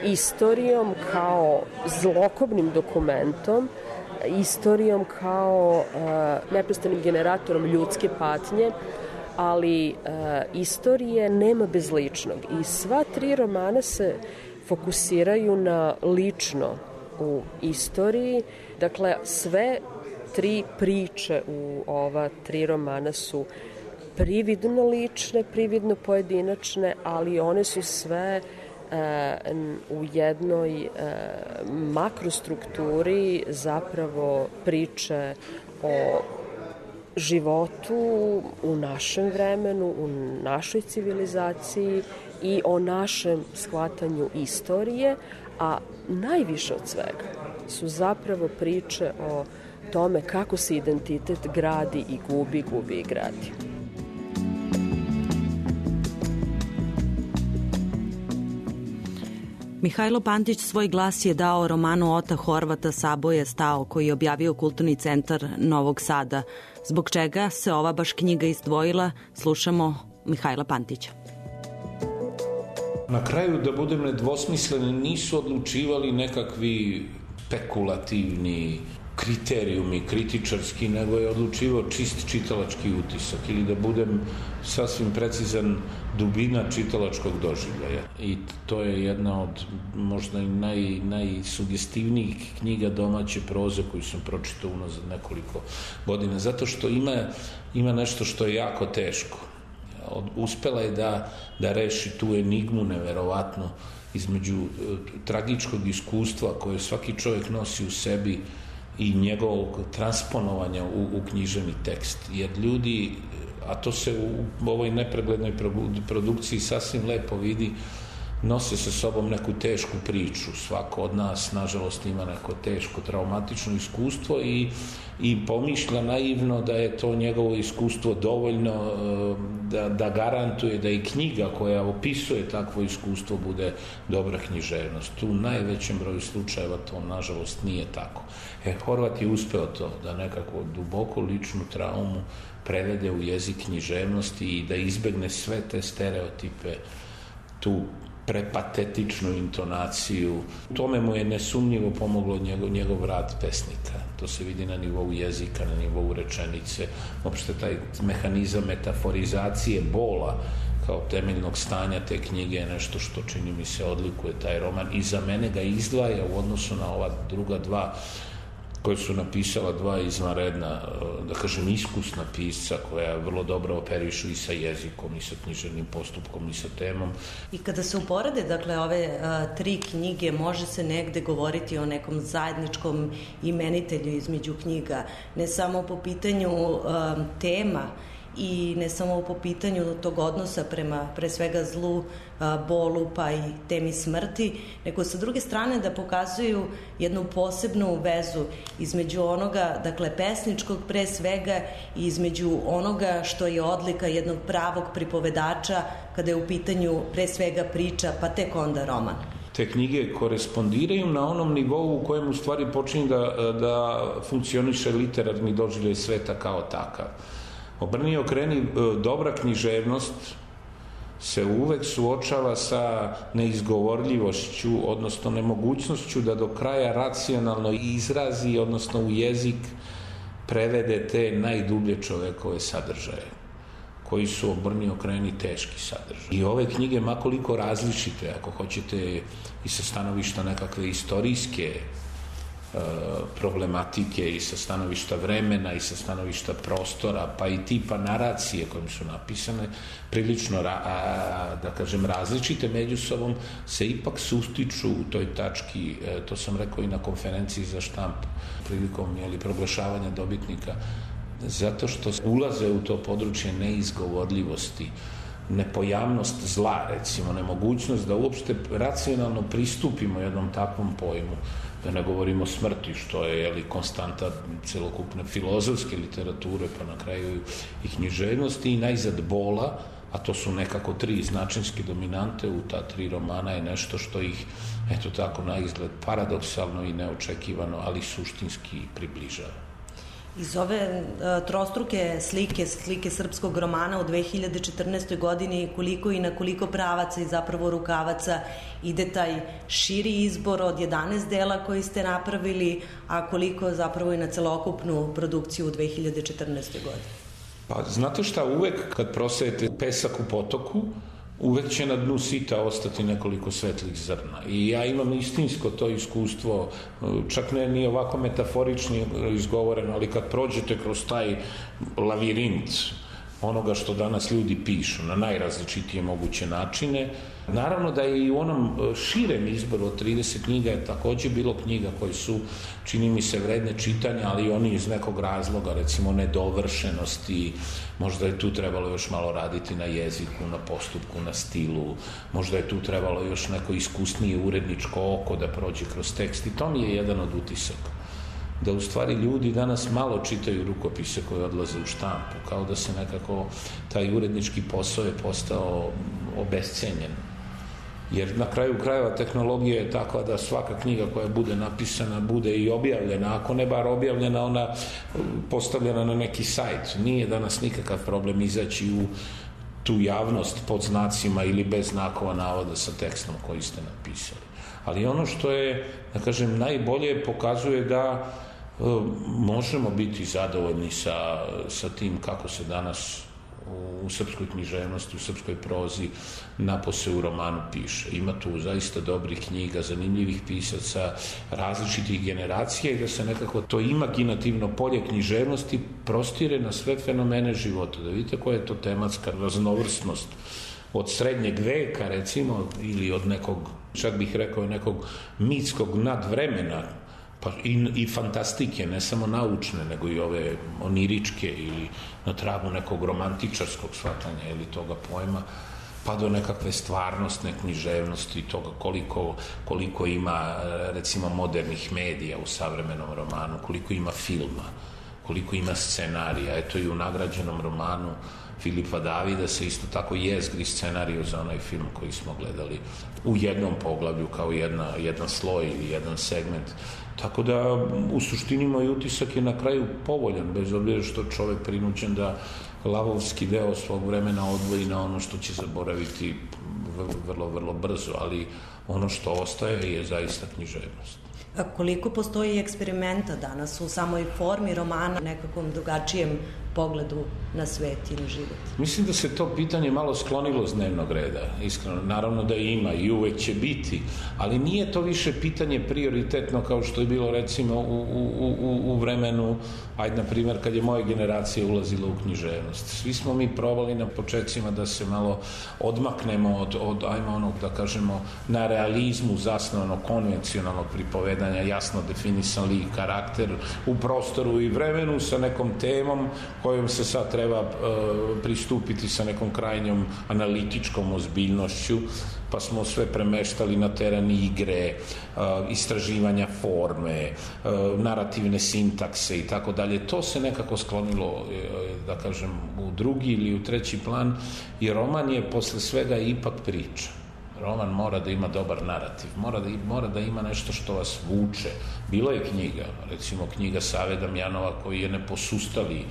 istorijom kao zlokobnim dokumentom, istorijom kao neprestanim generatorom ljudske patnje, ali istorije nema bez ličnog. I sva 3 romana se fokusiraju na lično u istoriji. Dakle, sve 3 priče u ova 3 romana su prividno lične, prividno pojedinačne, ali one su sve u jednoj makrostrukturi zapravo priče o životu u našem vremenu, u našoj civilizaciji i o našem shvatanju istorije, a najviše od svega su zapravo priče o tome kako se identitet gradi i gubi i gradi. Mihajlo Pantić svoj glas je dao romanu Ota Horvata Saboje stao, koji je objavio Kulturni centar Novog Sada. Zbog čega se ova baš knjiga izdvojila, slušamo Mihajla Pantića. Na kraju, da budem nedvosmislen, nisu odlučivali nekakvi spekulativni kriterijumi kritičarski, nego je odlučivao čist čitalački utisak, ili da budem sasvim precizan, dubina čitalačkog doživljaja. I to je jedna od možda i najsugestivnijih knjiga domaće proze koju sam pročitao unazad nekoliko godina, zato što ima nešto što je jako teško. Uspela je da reši tu enigmu neverovatno između tragičkog iskustva koje svaki čovjek nosi u sebi i njegovog transponovanja u književni tekst. Jer ljudi, a to se u ovoj nepreglednoj produkciji sasvim lepo vidi, nose sa sobom neku tešku priču. Svako od nas, nažalost, ima neko teško, traumatično iskustvo i pomišlja naivno da je to njegovo iskustvo dovoljno da garantuje da i knjiga koja opisuje takvo iskustvo bude dobra književnost. U najvećem broju slučajeva to, nažalost, nije tako. Horvat je uspeo to, da nekako duboko ličnu traumu prevede u jezik književnosti i da izbegne sve te stereotipe, tu prepatetičnu intonaciju. Tome mu je nesumnjivo pomoglo njegov rad pesnika. To se vidi na nivou jezika, na nivou rečenice. Uopšte taj mehanizam metaforizacije bola kao temeljnog stanja te knjige je nešto što, čini mi se, odlikuje taj roman i za mene ga izdvaja u odnosu na ova druga 2 koje su napisala 2 izvanredna, da kažem, iskusna pisca koja vrlo dobro operišu i sa jezikom, i sa književnim postupkom, i sa temom. I kada se uporede, dakle, ove 3 knjige, može se negde govoriti o nekom zajedničkom imenitelju između knjiga, ne samo po pitanju tema i ne samo po pitanju tog odnosa prema, pre svega, zlu, bolu, pa i temi smrti, nego sa druge strane da pokazuju jednu posebnu vezu između onoga, dakle, pesničkog pre svega, i između onoga što je odlika jednog pravog pripovedača kada je u pitanju pre svega priča, pa tek onda roman. te knjige korespondiraju na onom nivou u kojem u stvari počinje da funkcioniše literarni doživljaj sveta kao takav. Obrni okreni, dobra književnost se uvek suočava sa neizgovorljivošću, odnosno nemogućnošću da do kraja racionalno izrazi, odnosno u jezik prevede te najdublje čovekove sadržaje, koji su obrni okreni teški sadržaj. I ove knjige, makoliko različite, ako hoćete i sa stanovišta nekakve istorijske problematike i sa stanovišta vremena i sa stanovišta prostora, pa i tipa naracije kojim su napisane, prilično, da kažem, različite među sobom, se ipak sustiču u toj tački, to sam rekao i na konferenciji za štampu, prilikom proglašavanja dobitnika, zato što ulaze u to područje neizgovorljivosti, nepojavnost zla, recimo, nemogućnost da uopšte racionalno pristupimo jednom takvom pojmu, da ne govorimo smrti, što je konstanta celokupne filozofske literature, pa na kraju i književnosti, i najzad bola, a to su nekako tri značinske dominante u ta tri romana, je nešto što ih, eto tako, na izgled paradoksalno i neočekivano, ali suštinski približava. Iz ove trostruke slike srpskog romana u 2014. godini, koliko i na koliko pravaca i zapravo rukavaca ide taj širi izbor od 11 dela koji ste napravili, a koliko zapravo i na celokupnu produkciju u 2014. godini? Pa znate šta, uvek kad prosejete pesak u potoku, uvek će na dnu sita ostati nekoliko svetlih zrna. I ja imam istinsko to iskustvo, čak ne ni ovako metaforično izgovoreno, ali kad prođete kroz taj lavirint onoga što danas ljudi pišu na najrazličitije moguće načine, naravno da je i u onom širem izboru od 30 knjiga je takođe bilo knjiga koje su, čini mi se, vredne čitanja, ali oni iz nekog razloga, recimo nedovršenosti, možda je tu trebalo još malo raditi na jeziku, na postupku, na stilu, možda je tu trebalo još neko iskusnije uredničko oko da prođe kroz tekst, i to mi je jedan od utisaka. Da u stvari ljudi danas malo čitaju rukopise koje odlaze u štampu, kao da se nekako taj urednički posao je postao obescenjen. Jer na kraju krajeva tehnologija je takva da svaka knjiga koja bude napisana bude i objavljena, ako ne bar objavljena, ona postavljena na neki sajt. Nije danas nikakav problem izaći u tu javnost pod znacima ili bez znakova navoda sa tekstom koji ste napisali. Ali ono što je, da kažem, najbolje pokazuje da možemo biti zadovoljni sa tim kako se danas u srpskoj književnosti, u srpskoj prozi napose u romanu piše. Ima tu zaista dobrih knjiga, zanimljivih pisaca, različitih generacija, i da se nekako to imaginativno polje književnosti prostire na sve fenomene života. Da vidite koja je to tematska raznovrsnost od srednjeg veka, recimo, ili od nekog, čak bih rekao, nekog mitskog nadvremena, pa i fantastike, ne samo naučne, nego i ove oniričke ili na tragu nekog romantičarskog shvatanja ili toga pojma, pa do nekakve stvarnostne književnosti, toga koliko ima, recimo, modernih medija u savremenom romanu, koliko ima filma, koliko ima scenarija. Eto, i u nagrađenom romanu Filipa Davida se isto tako jezgri scenariju za onaj film koji smo gledali u jednom poglavlju kao jedan sloj ili jedan segment. Tako da, u suštini, moj utisak je na kraju povoljan, bez obzira što čovek prinuđen da lavovski deo svog vremena odvoji na ono što će zaboraviti vrlo, vrlo brzo, ali ono što ostaje je zaista književnost. A koliko postoji eksperimenta danas u samoj formi romana, nekakvom drugačijem pogledu na svet i na život? Mislim da se to pitanje malo sklonilo s dnevnog reda, iskreno. Naravno da ima i uvek će biti, ali nije to više pitanje prioritetno kao što je bilo, recimo, u vremenu, ajde, na primjer, kad je moja generacija ulazila u književnost. Svi smo mi probali na početcima da se malo odmaknemo od ajmo onog, da kažemo, na realizmu zasnovanog konvencionalnog pripovedanja, jasno definisan lik, karakter u prostoru i vremenu sa nekom temom kojom se sad treba pristupiti sa nekom krajnjom analitičkom ozbiljnošću, pa smo sve premeštali na teren igre, istraživanja forme, narativne sintakse i tako dalje. To se nekako sklonilo, da kažem, u drugi ili u treći plan, i roman je posle svega ipak priča. Roman mora da ima dobar narativ, mora da ima nešto što vas vuče. Bilo je knjiga, recimo knjiga Save Damjanova, koji je neposustali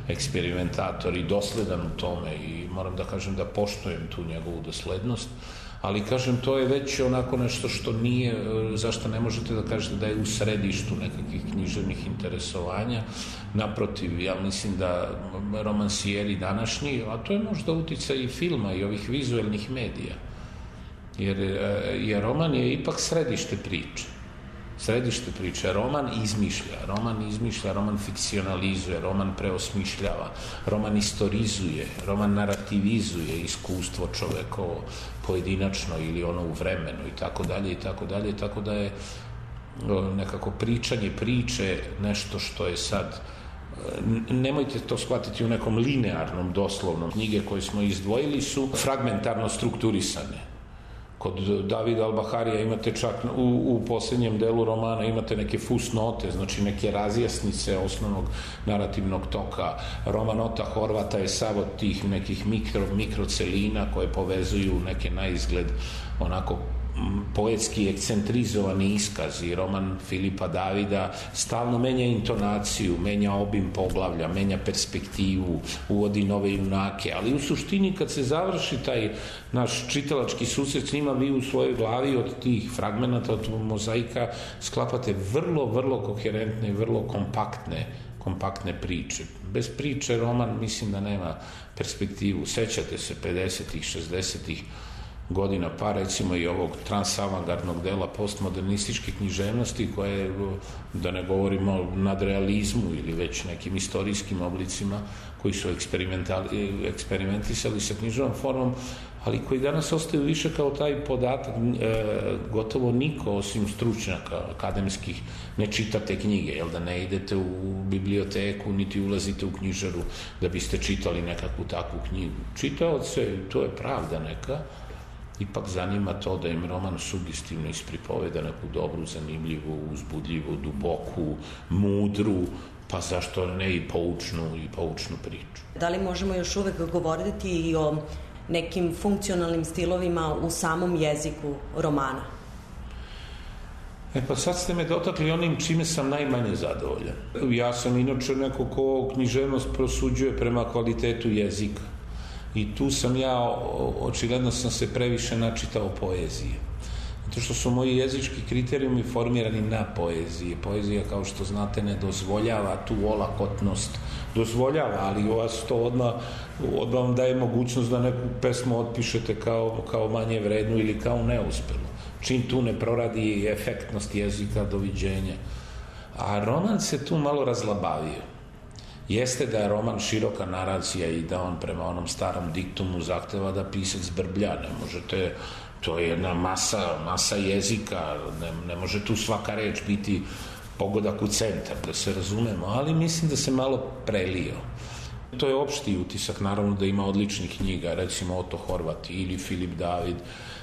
eksperimentator i dosledan u tome, i moram da kažem da poštujem tu njegovu doslednost, ali kažem, to je već onako nešto što nije, zašto ne možete da kažete da je u središtu nekakvih književnih interesovanja. Naprotiv, ja mislim da romansijeri današnji, a to je možda uticaj i filma i ovih vizuelnih medija, jer roman je ipak središte priče. Središte priče. Roman izmišlja, roman fikcionalizuje, roman preosmišljava, roman istorizuje, roman narativizuje iskustvo čovekovo pojedinačno ili ono u vremenu i tako dalje, tako da je nekako pričanje priče nešto što je sad, nemojte to shvatiti u nekom linearnom, doslovnom. Knjige koje smo izdvojili su fragmentarno strukturisane. Kod Davida Albaharija imate čak u posljednjem delu romana imate neke fusnote, znači neke razjasnice osnovnog narativnog toka. Roman Ota Horvata je sav od tih nekih mikrocelina koje povezuju neke naizgled onako poetski ekcentrizovani iskazi. Roman Filipa Davida stalno menja intonaciju, menja obim poglavlja, menja perspektivu, uvodi nove junake, ali u suštini kad se završi taj naš čitalački susret s njima, vi u svojoj glavi od tih fragmenata, od mozaika sklapate vrlo, vrlo koherentne i vrlo kompaktne priče. Bez priče roman mislim da nema perspektivu. Sećate se 50-ih, 60-ih godina, pa recimo i ovog transavangardnog dela postmodernističke književnosti, koje, da ne govorimo o nadrealizmu ili već nekim istorijskim oblicima koji su eksperimentisali sa književnom formom, ali koji danas ostaju više kao taj podatak. Gotovo niko osim stručnjaka akademskih ne čitate knjige, jel da ne idete u biblioteku niti ulazite u knjižaru da biste čitali nekakvu takvu knjigu. Čitaoce, to je pravda neka, ipak zanima to da im roman sugestivno ispripoveda neku dobru, zanimljivu, uzbudljivu, duboku, mudru, pa zašto ne i poučnu priču. Da li možemo još uvek govoriti i o nekim funkcionalnim stilovima u samom jeziku romana? Pa sad ste me dotakli onim čime sam najmanje zadovoljan. Ja sam inače neko ko književnost prosuđuje prema kvalitetu jezika. I tu sam očigledno sam se previše načitao poezije. Zato što su moji jezički kriterijumi formirani na poeziji. Poezija, kao što znate, ne dozvoljava tu olakotnost. Dozvoljava, ali vas to odmah vam daje mogućnost da neku pesmu otpišete kao manje vrednu ili kao neuspelu. Čim tu ne proradi efektnost jezika, doviđenja. A roman se tu malo razlabavio. Jeste da je roman široka naracija i da on prema onom starom diktumu zahteva da pisac brblja. Ne možete, to je jedna masa jezika, ne može tu svaka reč biti pogodak u centar, da se razumemo, ali mislim da se malo prelio. To je opšti utisak, naravno da ima odličnih knjiga, recimo Oto Horvat ili Filip David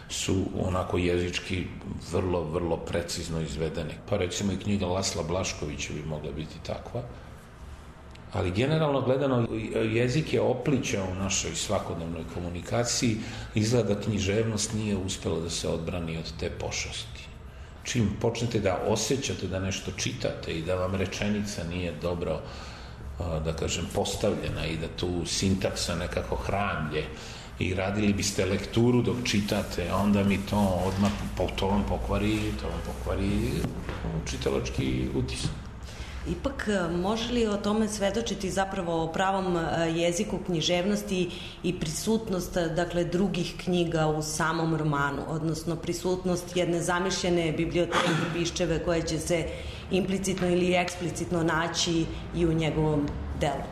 su onako jezički vrlo, vrlo precizno izvedene. Pa recimo i knjiga Lasla Blaškovića bi mogla biti takva. Ali generalno gledano, jezik je oplića u našoj svakodnevnoj komunikaciji, izgleda da književnost nije uspela da se odbrani od te pošasti. Čim počnete da osjećate da nešto čitate i da vam rečenica nije dobro, da kažem, postavljena i da tu sintaksa nekako hramlje i radili biste lekturu dok čitate, onda mi to odmah, to vam pokvari čitalački utisak. Ipak, može li o tome svedočiti zapravo o pravom jeziku književnosti i prisutnost, dakle, drugih knjiga u samom romanu, odnosno prisutnost jedne zamišljene biblioteke Piščeve koje će se implicitno ili eksplicitno naći i u njegovom delu?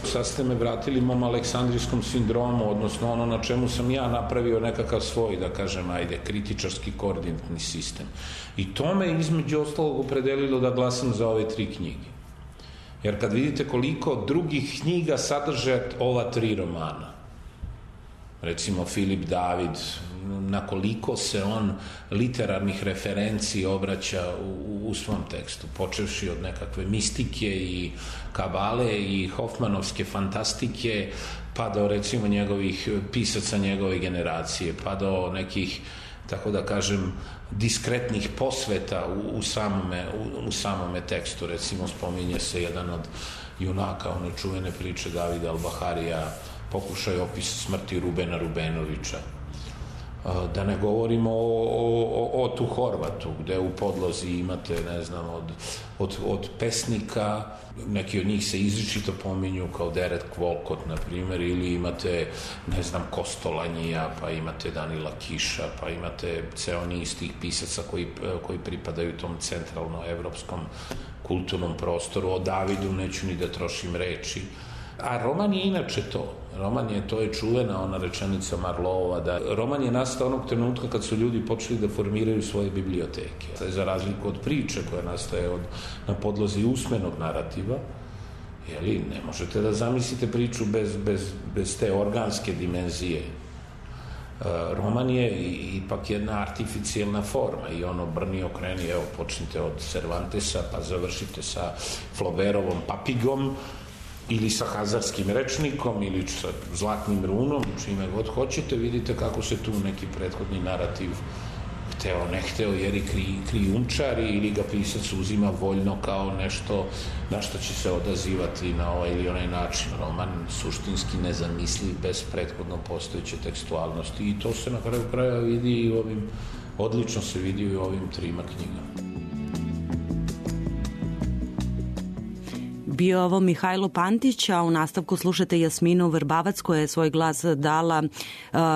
Sad ste me vratili mom aleksandrijskom sindromu, odnosno ono na čemu sam ja napravio nekakav svoj, da kažem, kritičarski koordinatni sistem. I to me između ostalog opredelilo da glasam za ove 3 knjige. Jer kad vidite koliko drugih knjiga sadrže ova 3 romana, recimo Filip David, na koliko se on literarnih referenciji obraća u svom tekstu, počevši od nekakve mistike i kabale i Hofmanovske fantastike, pa do recimo njegovih pisaca njegove generacije, pa do nekih, tako da kažem, diskretnih posveta u samome tekstu. Recimo spominje se jedan od junaka one čuvene priče Davida Al-Baharija, pokušaj opisa smrti Rubena Rubenovića. Da ne govorimo o Otu Horvatu, gde u podlozi imate, ne znam, od pesnika, neki od njih se izričito pominju kao Derek Walcott, na primjer, ili imate, ne znam, Kostolanjija, pa imate Danila Kiša, pa imate ceo niz tih pisaca koji pripadaju tom centralno-evropskom kulturnom prostoru. O Davidu neću ni da trošim reči. A roman je inače to. To je čuvena ona rečenica Marlova, da roman je nastao onog trenutka kad su ljudi počeli da formiraju svoje biblioteke. Za razliku od priče koja nastaje na podlozi usmenog narativa, ne možete da zamislite priču bez te organske dimenzije. Roman je ipak jedna artificijalna forma i ono brni okreni, evo počnite od Cervantesa pa završite sa Flaubertovom Papigom, ili sa Hazarskim rečnikom, ili sa Zlatnim runom, čime god hoćete, vidite kako se tu neki prethodni narativ hteo, ne hteo, jer i krijumčari ili ga pisac uzima voljno kao nešto na što će se odazivati na ovaj ili onaj način. Roman suštinski nezamisliv bez prethodno postojeće tekstualnosti i to se na kraju kraja vidi i odlično se vidi i u ovim 3 knjigama. Bio ovo Mihajlo Pantić, a u nastavku slušate Jasminu Vrbavac koja je svoj glas dala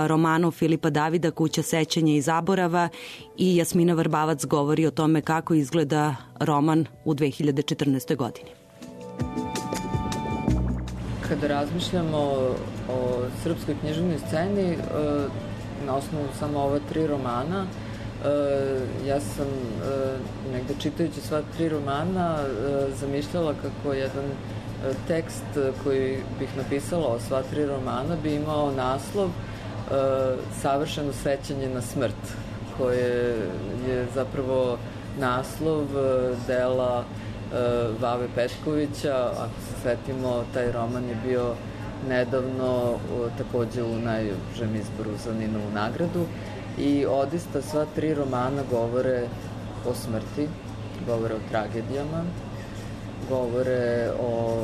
romanu Filipa Davida Kuća sećanja i zaborava i Jasmina Vrbavac govori o tome kako izgleda roman u 2014. godini. Kada razmišljamo o srpskoj književnoj sceni, na osnovu samo ova 3 romana, ja sam negde čitajući sva 3 romana zamišljala kako jedan tekst koji bih napisala o sva 3 romana bi imao naslov Savršeno sećanje na smrt, koje je zapravo naslov dela Vave Petkovića. Ako se setimo, taj roman je bio nedavno takođe u najužem izboru za Ninovu nagradu. I odista sva 3 romana govore o smrti, govore o tragedijama, govore o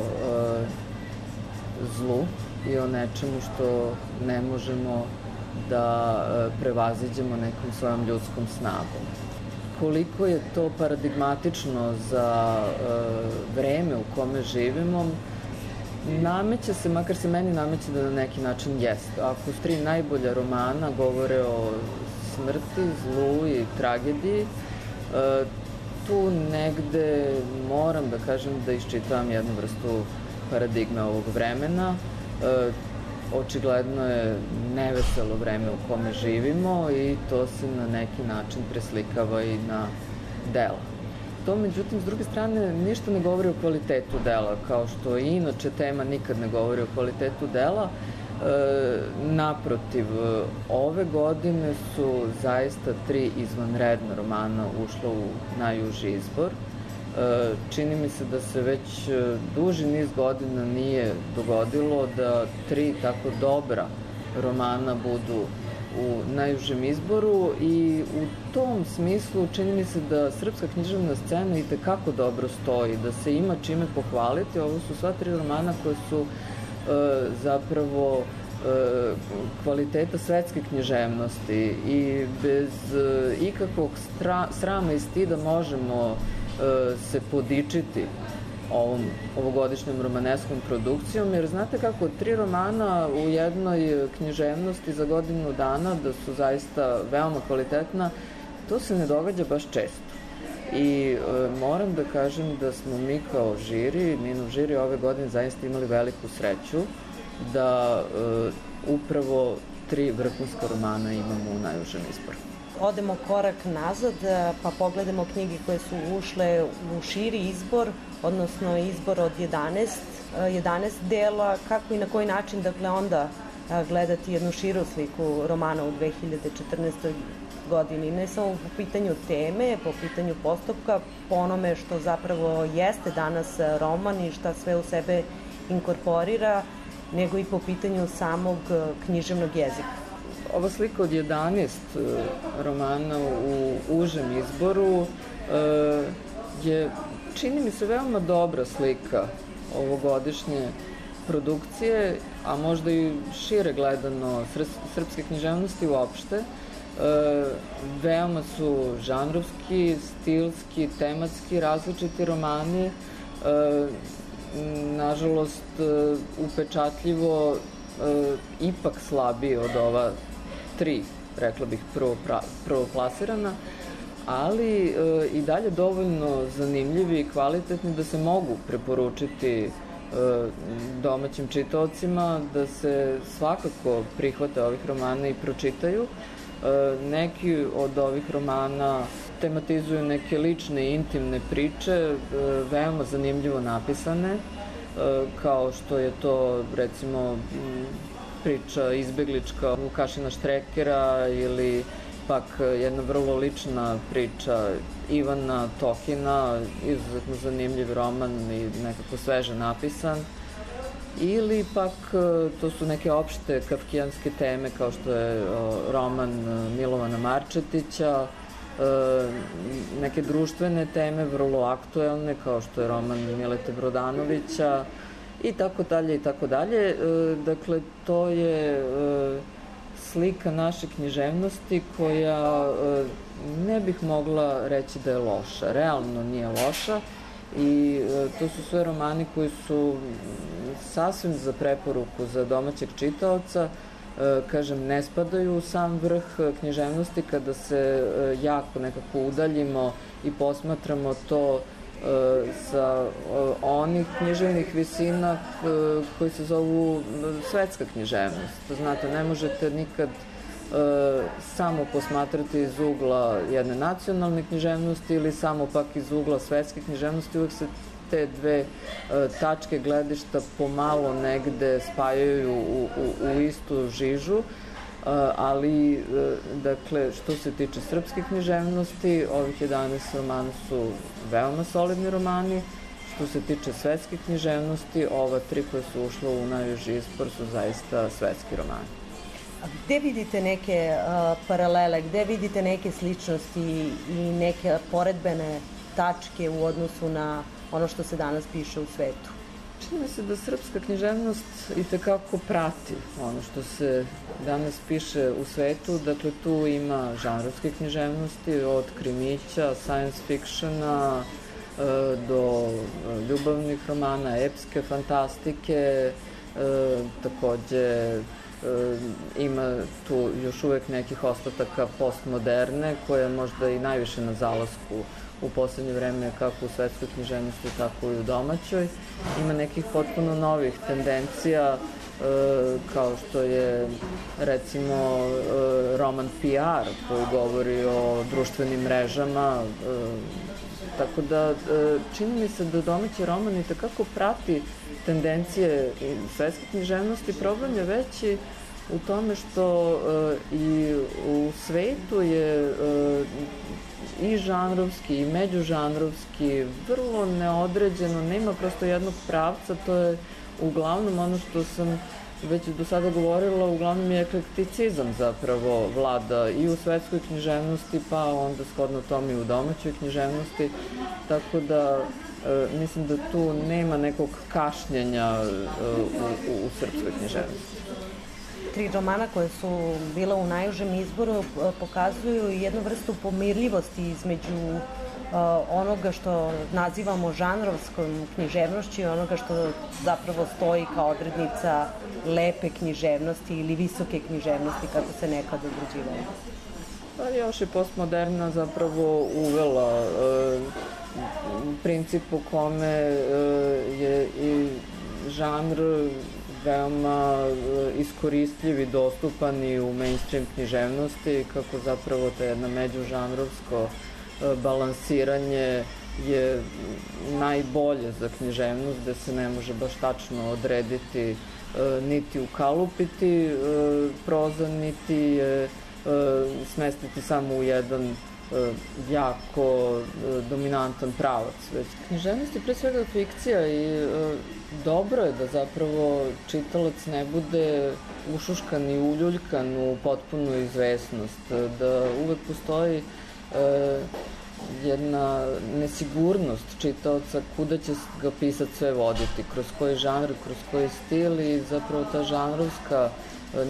zlu i o nečemu što ne možemo da prevaziđemo nekom svojom ljudskom snagom. Koliko je to paradigmatično za vreme u kome živimo, nameće se, makar se meni nameće da na neki način jeste. Ako 3 najbolja romana govore o smrti, zlu i tragediji, tu negde moram da kažem da iščitavam jednu vrstu paradigme ovog vremena. Očigledno je neveselo vreme u kome živimo i to se na neki način preslikava i na dela. To, međutim, s druge strane, ništa ne govori o kvalitetu dela, kao što i inače tema nikad ne govori o kvalitetu dela. Naprotiv, ove godine su zaista 3 izvanredna romana ušla u najuži izbor. Čini mi se da se već duži niz godina nije dogodilo da 3 tako dobra romana budu u najužem izboru i u tom smislu čini mi se da srpska književna scena i tekako dobro stoji, da se ima čime pohvaliti. Ovo su sva 3 romana koje su zapravo kvaliteta svetske književnosti i bez ikakvog srama i stida možemo se podičiti ovogodišnjom romaneskom produkcijom, jer znate kako 3 romana u jednoj književnosti za godinu dana da su zaista veoma kvalitetna, to se ne događa baš često. I moram da kažem da smo mi kao žiri, Ninov žiri ove godine zaista imali veliku sreću da upravo 3 vrhunska romana imamo u najužem izboru. Odemo korak nazad pa pogledamo knjige koje su ušle u širi izbor, odnosno izbor od 11 dela, kako i na koji način dakle onda gledati jednu širu sliku romana u 2014. godini, ne samo po pitanju teme, po pitanju postupka, po onome što zapravo jeste danas roman i šta sve u sebe inkorporira nego i po pitanju samog književnog jezika. Ova slika od 11 romana u užem izboru je, čini mi se, veoma dobra slika ovogodišnje produkcije, a možda i šire gledano srpske književnosti uopšte. Veoma su žanrovski, stilski, tematski različiti romani, nažalost upečatljivo ipak slabiji od ova 3, rekla bih, prvoplasirana, ali i dalje dovoljno zanimljivi i kvalitetni da se mogu preporučiti domaćim čitaocima, da se svakako prihvate ovih romana i pročitaju. Neki od ovih romana tematizuju neke lične i intimne priče, veoma zanimljivo napisane, kao što je to, recimo, priča izbeglička Vukašina Štrekera ili pak jedna vrlo lična priča Ivana Tokina, izuzetno zanimljiv roman i nekako sveže napisan. Ili pak to su neke opšte kafkijanske teme kao što je roman Milovana Marčetića, neke društvene teme vrlo aktuelne kao što je roman Milete Brodanovića i tako dalje i tako dalje. Dakle, to je slika naše književnosti koja ne bih mogla reći da je loša. Realno nije loša i to su sve romani koji su sasvim za preporuku za domaćeg čitaoca. Kažem, ne spadaju u sam vrh književnosti kada se jako nekako udaljimo i posmatramo to sa onih književnih visina koji se zovu svetska književnost. Znate, ne možete nikad samo posmatrati iz ugla jedne nacionalne književnosti ili samo pak iz ugla svetske književnosti. Uvek se te dve tačke gledišta pomalo negde spajaju u istu žižu, ali, dakle, što se tiče srpske književnosti, ovih 11 romana su veoma solidni romani. Što se tiče svetske književnosti, ova 3 koje su ušla u najuži izbor su zaista svetski romani. Gde vidite neke paralele, gde vidite neke sličnosti i neke poredbene tačke u odnosu na ono što se danas piše u svetu? Čini mi se da srpska književnost i tekako prati ono što se danas piše u svetu. Dakle, tu ima žanrovske književnosti, od krimića, science fictiona, do ljubavnih romana, epske fantastike, takođe ima tu još uvek nekih ostataka postmoderne, koja je možda i najviše na zalasku u poslednje vreme, kako u svetskoj književnosti, tako i u domaćoj. Ima nekih potpuno novih tendencija, kao što je, recimo, roman PR, koji govori o društvenim mrežama. Tako da, čini mi se da domaći roman i takako prati tendencije svetske književnosti. Problem je veći u tome što i u svetu je i žanrovski i međužanrovski vrlo neodređeno, nema prosto jednog pravca. To je uglavnom ono što sam već do sada govorila, uglavnom je eklekticizam zapravo vlada i u svetskoj književnosti, pa onda shodno tome i u domaćoj književnosti, tako da mislim da tu nema nekog kašnjenja u srpskoj književnosti. 3 romana koje su bila u najužem izboru pokazuju jednu vrstu pomirljivosti između onoga što nazivamo žanrovskom književnošću i onoga što zapravo stoji kao odrednica lepe književnosti ili visoke književnosti, kako se nekad određivalo. Pa još je postmoderna zapravo uvela princip u kome je i žanr veoma iskoristljiv i dostupan i u mainstream književnosti, kako zapravo to jedna međužanrovsko balansiranje je najbolje za književnost, gde se ne može baš tačno odrediti niti ukalupiti proza, niti je smestiti samo u jedan jako dominantan pravac. Književnost je pre svega fikcija i dobro je da zapravo čitalac ne bude ušuškan i uljuljkan u potpunu izvesnost, da uvek postoji jedna nesigurnost čitaoca kuda će ga pisac sve voditi, kroz koji žanr, kroz koji stil, i zapravo ta žanrovska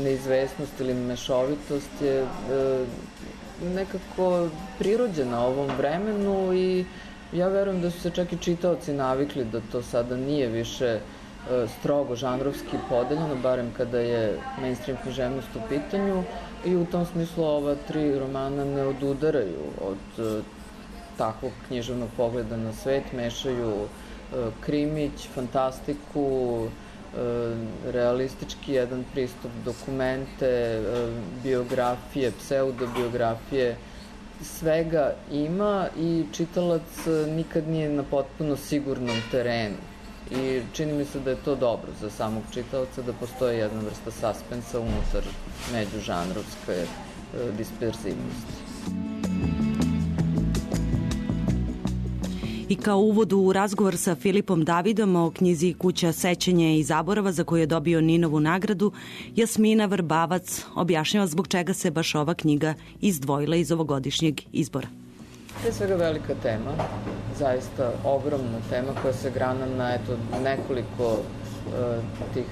neizvesnost ili mešovitost je nekako prirođena ovom vremenu i ja verujem da su se čak i čitaoci navikli da to sada nije više strogo žanrovski podeljeno, barem kada je mainstream književnost u pitanju, i u tom smislu ova 3 romana ne odudaraju od takvog književnog pogleda na svet, mešaju krimić, fantastiku, realistički jedan pristup, dokumente, biografije, pseudobiografije, svega ima i čitalac nikad nije na potpuno sigurnom terenu. I čini mi se da je to dobro za samog čitaoca, da postoji jedna vrsta suspensa unutar međužanrovske disperzivnosti. I kao uvod u razgovor sa Filipom Davidom o knjizi Kuća sećanja i zaborava, za koju je dobio Ninovu nagradu, Jasmina Vrbavac objašnjava zbog čega se baš ova knjiga izdvojila iz ovogodišnjeg izbora. Pre svega velika tema, zaista ogromna tema koja se grana na nekoliko tih,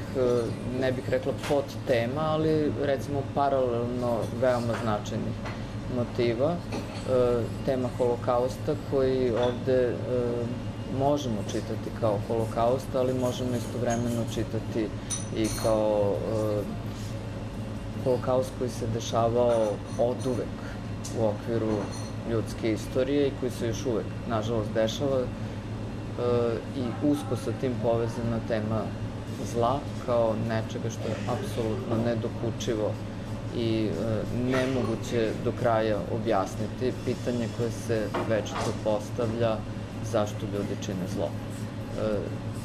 ne bih rekla podtema, ali recimo paralelno veoma značajnih motiva. Tema holokausta koji ovde možemo čitati kao holokaust, ali možemo istovremeno čitati i kao holokaust koji se dešavao oduvek u okviru ljudske istorije i koji se još uvek, nažalost, dešava, i usko sa tim povezana tema zla kao nečega što je apsolutno nedokučivo i nemoguće do kraja objasniti. Pitanje koje se večito postavlja, zašto ljudi čine zlo.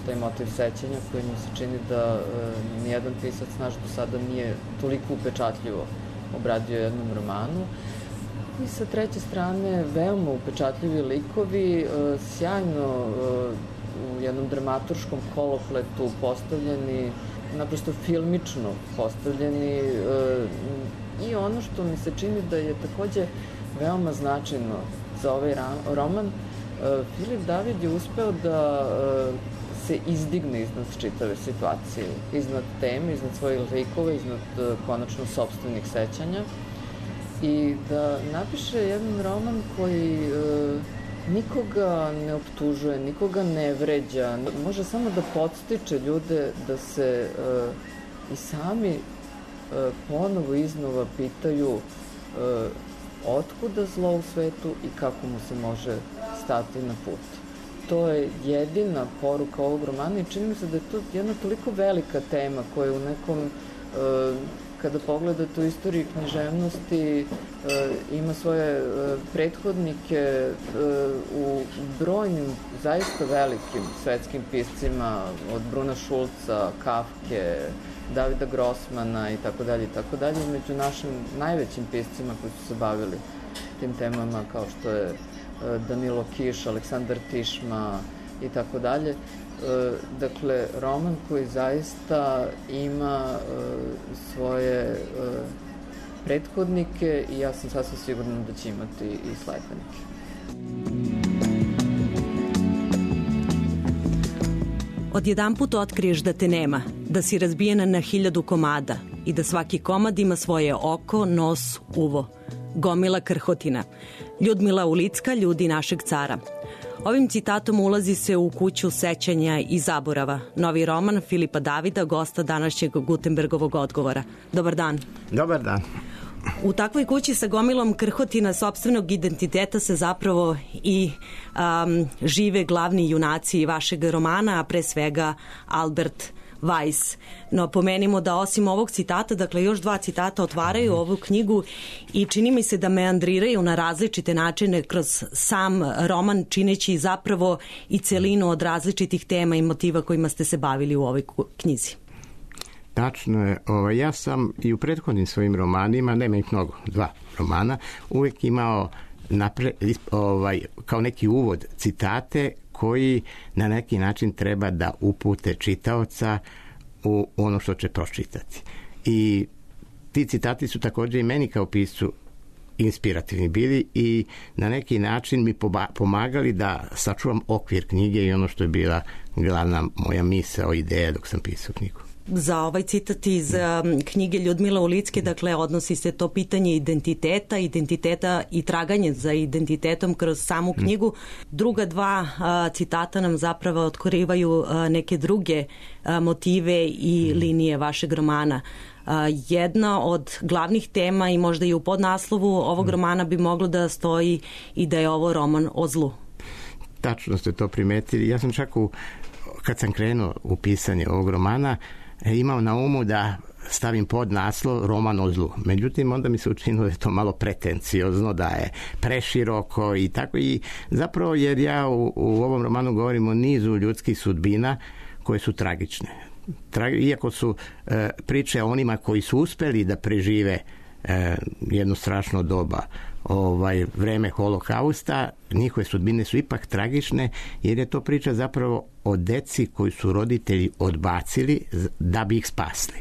Taj motiv sećanja koji mi se čini da nijedan pisac naš do sada nije toliko upečatljivo obradio jednom romanu. I sa treće strane, veoma upečatljivi likovi, sjajno u jednom dramaturškom kolopletu postavljeni, naprosto filmično postavljeni, i ono što mi se čini da je takođe veoma značajno za ovaj roman, Filip David je uspeo da se izdigne iznad čitave situacije, iznad teme, iznad svojih likova, iznad konačno sopstvenih sećanja, i da napiše jedan roman koji nikoga ne optužuje, nikoga ne vređa, može samo da podstiče ljude da se i sami ponovo iznova pitaju otkuda zlo u svetu i kako mu se može stati na put. To je jedina poruka ovog romana i čini mi se da je to jedna toliko velika tema koja u nekom, kada pogledate u istoriji književnosti, ima svoje prethodnike u brojnim, zaista velikim svetskim piscima, od Bruna Šulca, Kafke, Davida Grossmana i tako dalje, među našim najvećim piscima koji su se bavili tim temama, kao što je Danilo Kiš, Aleksandar Tišma i tako dalje. Dakle, roman koji zaista ima svoje prethodnike i ja sam sasvim sigurna da će imati i sledbenike. Odjedanput otkriješ da te nema, da si razbijena na 1000 komada i da svaki komad ima svoje oko, nos, uvo. Gomila krhotina. Ljudmila Ulicka, ljudi našeg cara. Ovim citatom ulazi se u kuću sećanja i zaborava. Novi roman Filipa Davida, gosta današnjeg Gutenbergovog odgovora. Dobar dan. Dobar dan. U takvoj kući sa gomilom krhotina sopstvenog identiteta se zapravo i žive glavni junaci vašeg romana, a pre svega Albert Weiss. No, pomenimo da osim ovog citata, dakle još 2 citata otvaraju ovu knjigu i čini mi se da meandriraju na različite načine kroz sam roman, čineći zapravo i celinu od različitih tema i motiva kojima ste se bavili u ovoj knjizi. Tačno je. Ja sam i u prethodnim svojim romanima, nema ih mnogo, 2 romana, uvek imao kao neki uvod citate koji na neki način treba da upute čitaoca u ono što će pročitati. I ti citati su također i meni kao piscu inspirativni bili i na neki način mi pomagali da sačuvam okvir knjige i ono što je bila glavna moja misao, ideja dok sam pisao knjigu. Za ovaj citat iz knjige Ljudmila Ulicke, dakle, odnosi se to pitanje identiteta i traganje za identitetom kroz samu knjigu. Druga 2 citata nam zapravo otkrivaju neke druge motive i linije vašeg romana. Jedna od glavnih tema i možda i u podnaslovu ovog romana bi moglo da stoji i da je ovo roman o zlu. Tačno ste to primetili. Ja sam čak kad sam krenuo u pisanje ovog romana imao na umu da stavim podnaslov roman o zlu. Međutim, onda mi se učinilo da je to malo pretenciozno, da je preširoko i tako. I zapravo jer ja u ovom romanu govorim o nizu ljudskih sudbina koje su tragične. Iako su priče o onima koji su uspeli da prežive jedno strašno doba, vreme holokausta, njihove sudbine su ipak tragične, jer je to priča zapravo o deci koji su roditelji odbacili da bi ih spasli.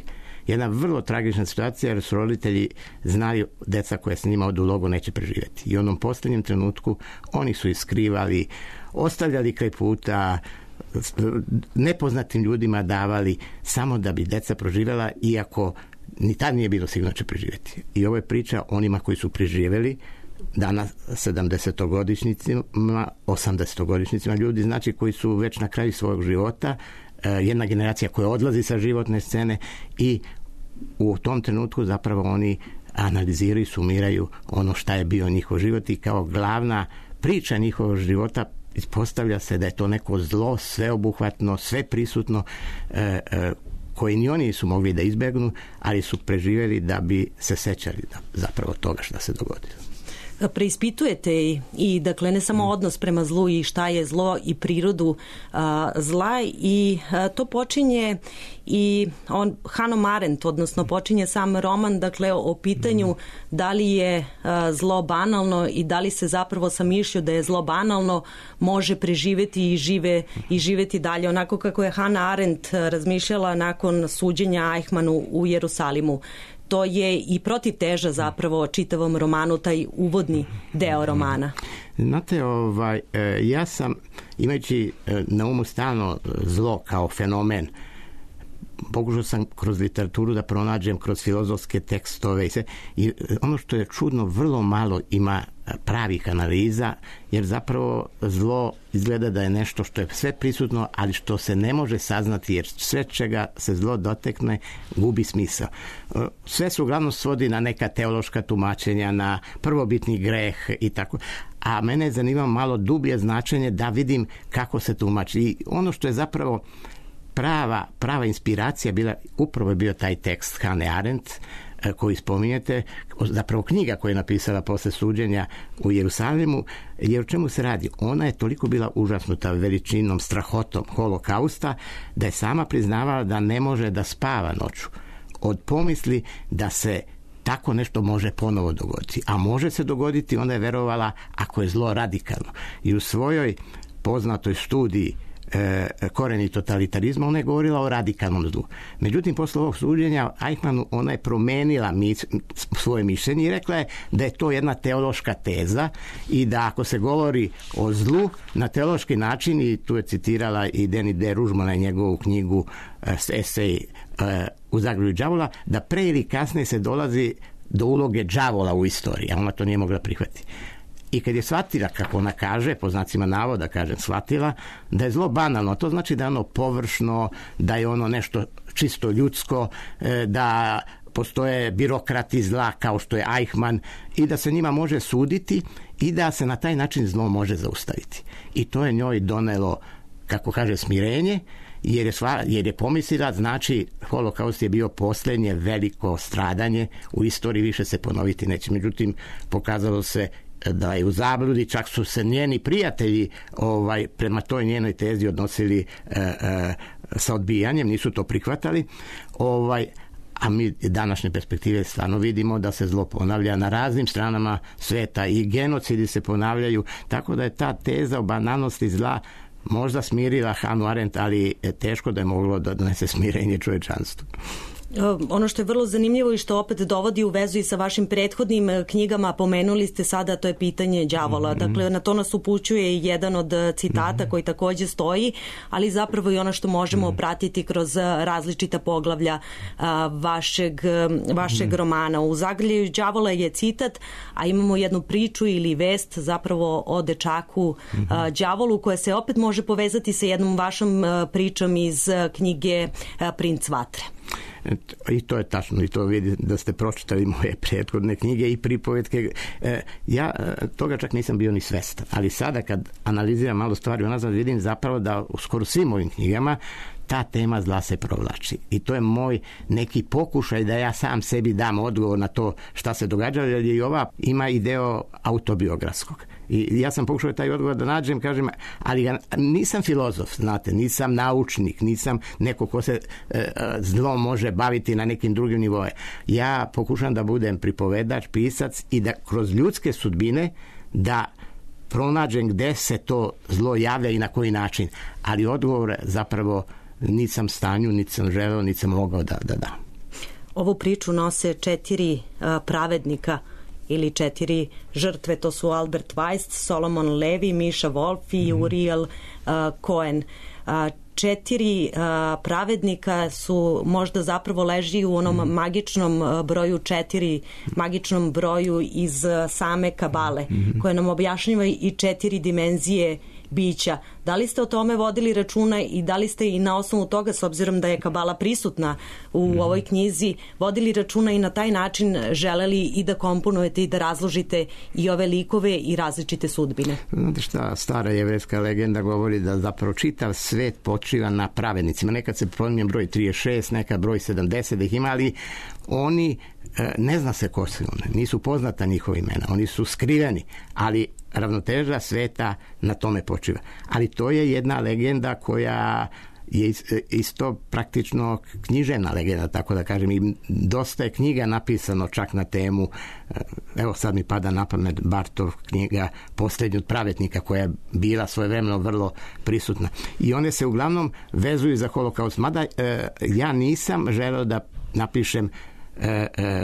Jedna vrlo tragična situacija, jer su roditelji znali deca koja s njima odu u logo neće preživjeti. I u onom posljednjem trenutku oni su ih skrivali, ostavljali kraj puta, nepoznatim ljudima davali samo da bi deca proživjela, iako ni tad nije bilo sigurno će preživjeti. I ovo je priča onima koji su preživjeli, danas 70-godišnjicima, 80-godišnjicima, ljudi znači koji su već na kraju svog života, jedna generacija koja odlazi sa životne scene i u tom trenutku zapravo oni analiziraju i sumiraju ono šta je bio njihov život i kao glavna priča njihovog života ispostavlja se da je to neko zlo, sveobuhvatno, sve prisutno, koji ni oni nisu mogli da izbegnu, ali su preživjeli da bi se sećali zapravo toga što se dogodilo. Preispitujete i dakle ne samo odnos prema zlu i šta je zlo i prirodu zla i to počinje i Hannah Arendt, odnosno počinje sam roman dakle o pitanju da li je zlo banalno i da li se zapravo sa mišlju da je zlo banalno može preživjeti i živjeti dalje, onako kako je Hannah Arendt razmišljala nakon suđenja Eichmannu u Jerusalimu. To je i protivteža zapravo čitavom romanu, taj uvodni deo romana. Znate, ja sam, imajući na umu stalno zlo kao fenomen, pokušao sam kroz literaturu da pronađem, kroz filozofske tekstove i ono što je čudno, vrlo malo ima pravih analiza, jer zapravo zlo izgleda da je nešto što je sve prisutno, ali što se ne može saznati, jer sve čega se zlo dotekne gubi smisao. Sve se uglavnom svodi na neka teološka tumačenja, na prvobitni greh i tako. A mene je zanimalo malo dublje značenje da vidim kako se tumači. I ono što je zapravo prava inspiracija bila, upravo je bio taj tekst Hannah Arendt koji spominjete, zapravo knjiga koju je napisala posle suđenja u Jerusalimu, jer o čemu se radi? Ona je toliko bila užasnuta veličinom, strahotom holokausta, da je sama priznavala da ne može da spava noću od pomisli da se tako nešto može ponovo dogoditi. A može se dogoditi, onda je verovala ako je zlo radikalno. I u svojoj poznatoj studiji koreni totalitarizma, ona je govorila o radikalnom zlu. Međutim, posle ovog suđenja Eichmannu ona je promenila svoje mišljenje i rekla je da je to jedna teološka teza i da ako se govori o zlu na teološki način, i tu je citirala i Deni de Ružmana i njegovu knjigu esej U zagrlju đavola, da pre ili kasnije se dolazi do uloge đavola u istoriji, a ona to nije mogla prihvatiti. I kad je shvatila, kako ona kaže, po znacima navoda kažem, shvatila da je zlo banalno, to znači da je ono površno, da je ono nešto čisto ljudsko, da postoje birokrati zla kao što je Eichmann i da se njima može suditi i da se na taj način zlo može zaustaviti. I to je njoj donelo, kako kaže, smirenje, jer je pomislila, znači holokaust je bio posljednje veliko stradanje u istoriji, više se ponoviti neće. Međutim, pokazalo se da je u zabludi, čak su se njeni prijatelji prema toj njenoj tezi odnosili sa odbijanjem, nisu to prihvatali, a mi današnje perspektive stvarno vidimo da se zlo ponavlja na raznim stranama sveta i genocidi se ponavljaju, tako da je ta teza o banalnosti zla možda smirila Hannah Arendt, ali teško da je moglo da donese smirenje čovečanstvu. Ono što je vrlo zanimljivo i što opet dovodi u vezu i sa vašim prethodnim knjigama, pomenuli ste sada, to je pitanje đavola. Dakle, na to nas upućuje jedan od citata koji takođe stoji, ali zapravo i ono što možemo pratiti kroz različita poglavlja vašeg romana. U Zagrljaju đavola je citat, a imamo jednu priču ili vest zapravo o dečaku đavolu, koja se opet može povezati sa jednom vašom pričom iz knjige Princ vatre. I to je tačno, i to vidi da ste pročitali moje prethodne knjige i pripovetke. Ja toga čak nisam bio ni svestan, ali sada kad analiziram malo stvari unazad, vidim zapravo da u skoro svim ovim knjigama ta tema zla se provlači. I to je moj neki pokušaj da ja sam sebi dam odgovor na to šta se događalo, jer i ova ima i deo autobiografskog. I ja sam pokušao taj odgovor da nađem, kažem, ali nisam filozof, znate, nisam naučnik, nisam neko ko se zlom može baviti na nekim drugim nivoje. Ja pokušam da budem pripovedač, pisac i da kroz ljudske sudbine da pronađem gde se to zlo javlja i na koji način. Ali odgovor zapravo nisam stanju, niti sam želeo, niti sam mogao da dam. Ovu priču nose 4 pravednika ili 4 žrtve, to su Albert Weist, Solomon Levi, Misha Wolf i Uriel Cohen. 4 pravednika su možda zapravo leži u onom magičnom broju 4, magičnom broju iz same Kabale, koja nam objašnjava i 4 dimenzije bića. Da li ste o tome vodili računa i da li ste i na osnovu toga, s obzirom da je Kabala prisutna u ovoj knjizi, vodili računa i na taj način želeli i da komponujete i da razložite i ove likove i različite sudbine? Znate šta, stara jevrejska legenda govori da zapravo čitav svet počiva na pravednicima. Nekad se pominje broj 36, nekad broj 70 da ih ima, ali oni, ne zna se ko su oni, nisu poznata njihova imena, oni su skriveni, ali ravnoteža sveta na tome počiva. Ali to je jedna legenda koja je isto praktično književna legenda, tako da kažem, i dosta je knjiga napisano čak na temu, evo sad mi pada na pamet Bartov knjiga Posljednji od pravednika, koja je bila svojevremeno vrlo prisutna. I one se uglavnom vezuju za holokaust. Mada ja nisam želeo da napišem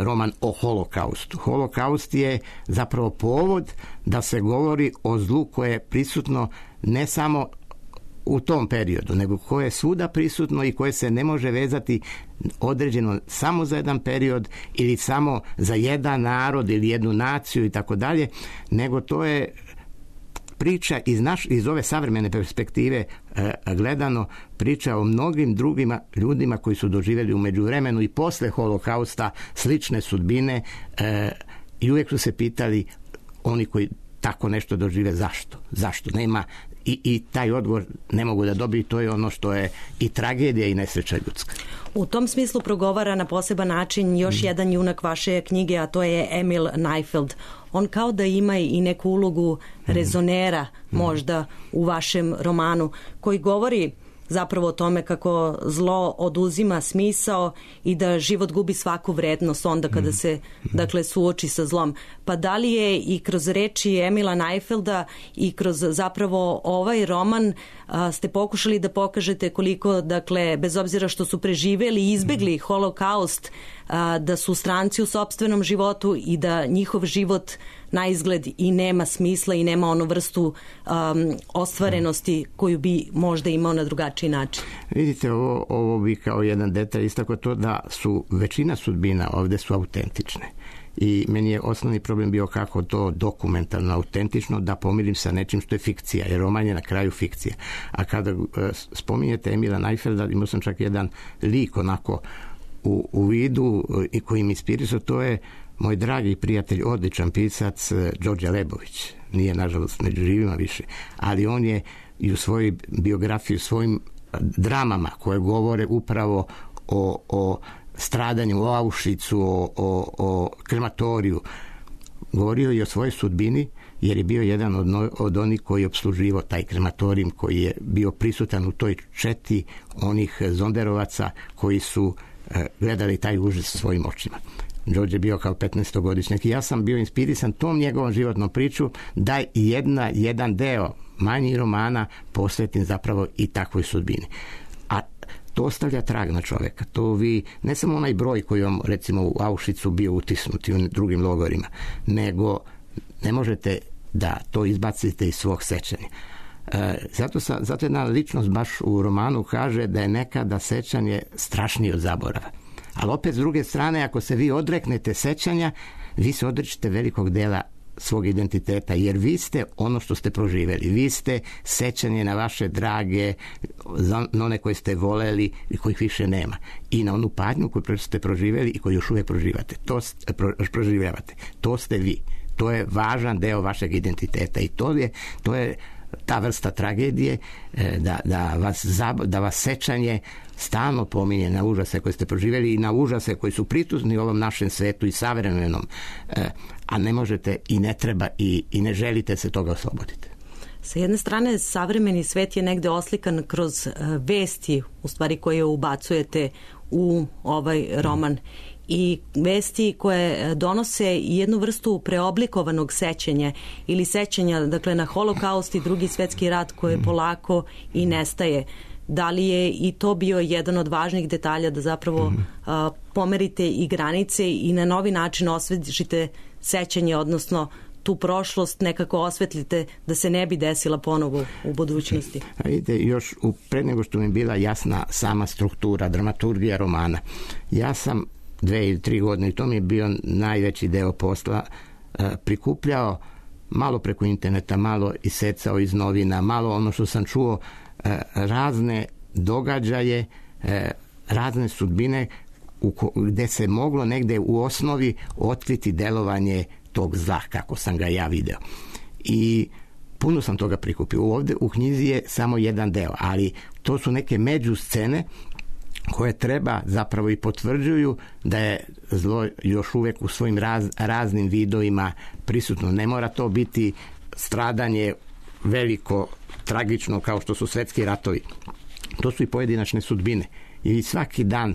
roman o holokaustu. Holokaust je zapravo povod da se govori o zlu koje je prisutno ne samo u tom periodu, nego koje je svuda prisutno i koje se ne može vezati određeno samo za jedan period ili samo za jedan narod ili jednu naciju i tako dalje, nego to je priča iz ove savremene perspektive gledano, priča o mnogim drugim ljudima koji su doživjeli u međuvremenu i posle holokausta slične sudbine i uvijek su se pitali oni koji tako nešto dožive zašto nema i taj odgovor ne mogu da dobiju. To je ono što je i tragedija i nesreća ljudska. U tom smislu progovara na poseban način još jedan junak vaše knjige, a to je Emil Neifeld. On kao da ima i neku ulogu rezonera možda u vašem romanu, koji govori zapravo o tome kako zlo oduzima smisao i da život gubi svaku vrednost onda kada se suoči sa zlom. Pa da li je i kroz reči Emila Neifelda i kroz zapravo ovaj roman ste pokušali da pokažete koliko, bez obzira što su preživeli i izbegli holokaust, da su stranci u sopstvenom životu i da njihov život na izgled i nema smisla i nema onu vrstu ostvarenosti koju bi možda imao na drugačiji način. Vidite, ovo bi kao jedan detalj istako to da su većina sudbina ovde su autentične. I meni je osnovni problem bio kako to dokumentarno, autentično da pomirim sa nečim što je fikcija, jer roman je na kraju fikcija. A kada spominjete Emila Neifelda, imao sam čak jedan lik onako u vidu i koji mi inspirisao, to je moj dragi prijatelj, odličan pisac Đorđe Lebović. Nije, nažalost, među živima više, ali on je i u svojoj biografiji, u svojim dramama koje govore upravo o stradanju, o Auschwitzu, o krematoriju, govorio i o svojoj sudbini jer je bio jedan od onih koji je opsluživao taj krematorijum, koji je bio prisutan u toj četi onih zonderovaca koji su gledali taj užas svojim očima. Đorđe je bio kao 15-godišnjak i ja sam bio inspirisan tom njegovom životnom priču da jedan deo manjih romana posvetim zapravo i takvoj sudbini. A to ostavlja trag na čoveka. To vi, ne samo onaj broj koji vam recimo u Auschwitzu bio utisnut i u drugim logorima, nego ne možete da to izbacite iz svog sećanja. Zato jedna ličnost baš u romanu kaže da je nekada sećanje strašnije od zaborava. Ali opet s druge strane, ako se vi odreknete sećanja, vi se odrećete velikog dela svog identiteta, jer vi ste ono što ste proživeli. Vi ste sećanje na vaše drage, na one koje ste voleli i kojih više nema. I na onu patnju koju ste proživeli i koju još uvijek proživljavate. To ste vi. To je važan deo vašeg identiteta i to je ta vrsta tragedije da vas sećanje stalno pominje na užase koje ste proživjeli i na užase koji su prisutni u ovom našem svetu i savremenom, a ne možete i ne treba i ne želite se toga osloboditi. Sa jedne strane, savremeni svet je negde oslikan kroz vesti, u stvari koje ubacujete u ovaj roman, i vesti koje donose jednu vrstu preoblikovanog sećanja ili sećanja, dakle, na Holokaust i Drugi svjetski rat koje polako i nestaje. Da li je i to bio jedan od važnih detalja da zapravo pomerite i granice i na novi način osvetlite sećanje, odnosno tu prošlost nekako osvetlite da se ne bi desila ponovo u budućnosti? Vidite, još pre nego što mi je bila jasna sama struktura, dramaturgija romana, ja sam 2 ili 3 godine, i to mi je bio najveći deo posla, prikupljao malo preko interneta, malo isecao iz novina, malo ono što sam čuo, razne događaje, razne sudbine gde se moglo negde u osnovi otkriti delovanje tog zla, kako sam ga ja video. I puno sam toga prikupio. Ovde u knjizi je samo jedan deo, ali to su neke međuscene koje treba zapravo i potvrđuju da je zlo još uvijek u svojim raznim vidovima prisutno. Ne mora to biti stradanje veliko, tragično kao što su svetski ratovi. To su i pojedinačne sudbine. I svaki dan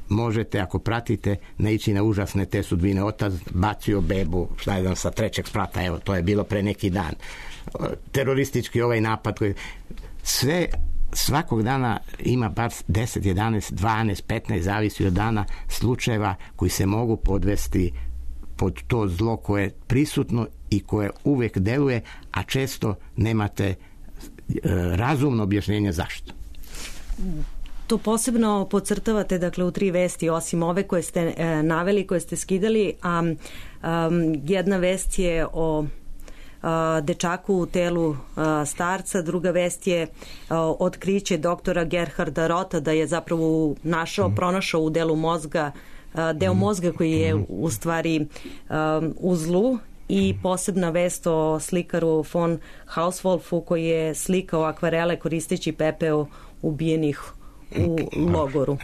možete, ako pratite, naići na užasne te sudbine. Otac bacio bebu, sa 3. sprata, evo, to je bilo pre neki dan. Teroristički ovaj napad. Sve svakog dana ima bar 10, 11, 12, 15, zavisi od dana, slučajeva koji se mogu podvesti pod to zlo koje je prisutno i koje uvijek deluje, a često nemate razumno objašnjenje zašto. To posebno podcrtavate, dakle, u 3 vesti, osim ove koje ste naveli, koje ste skidali, a jedna vest je o dečaku u telu starca, druga vest je otkriće doktora Gerharda Rota da je zapravo pronašao u delu mozga deo mozga koji je u stvari u zlu, i posebna vest o slikaru von Hauswolfu koji je slikao akvarele koristeći pepeo ubijenih u logoru.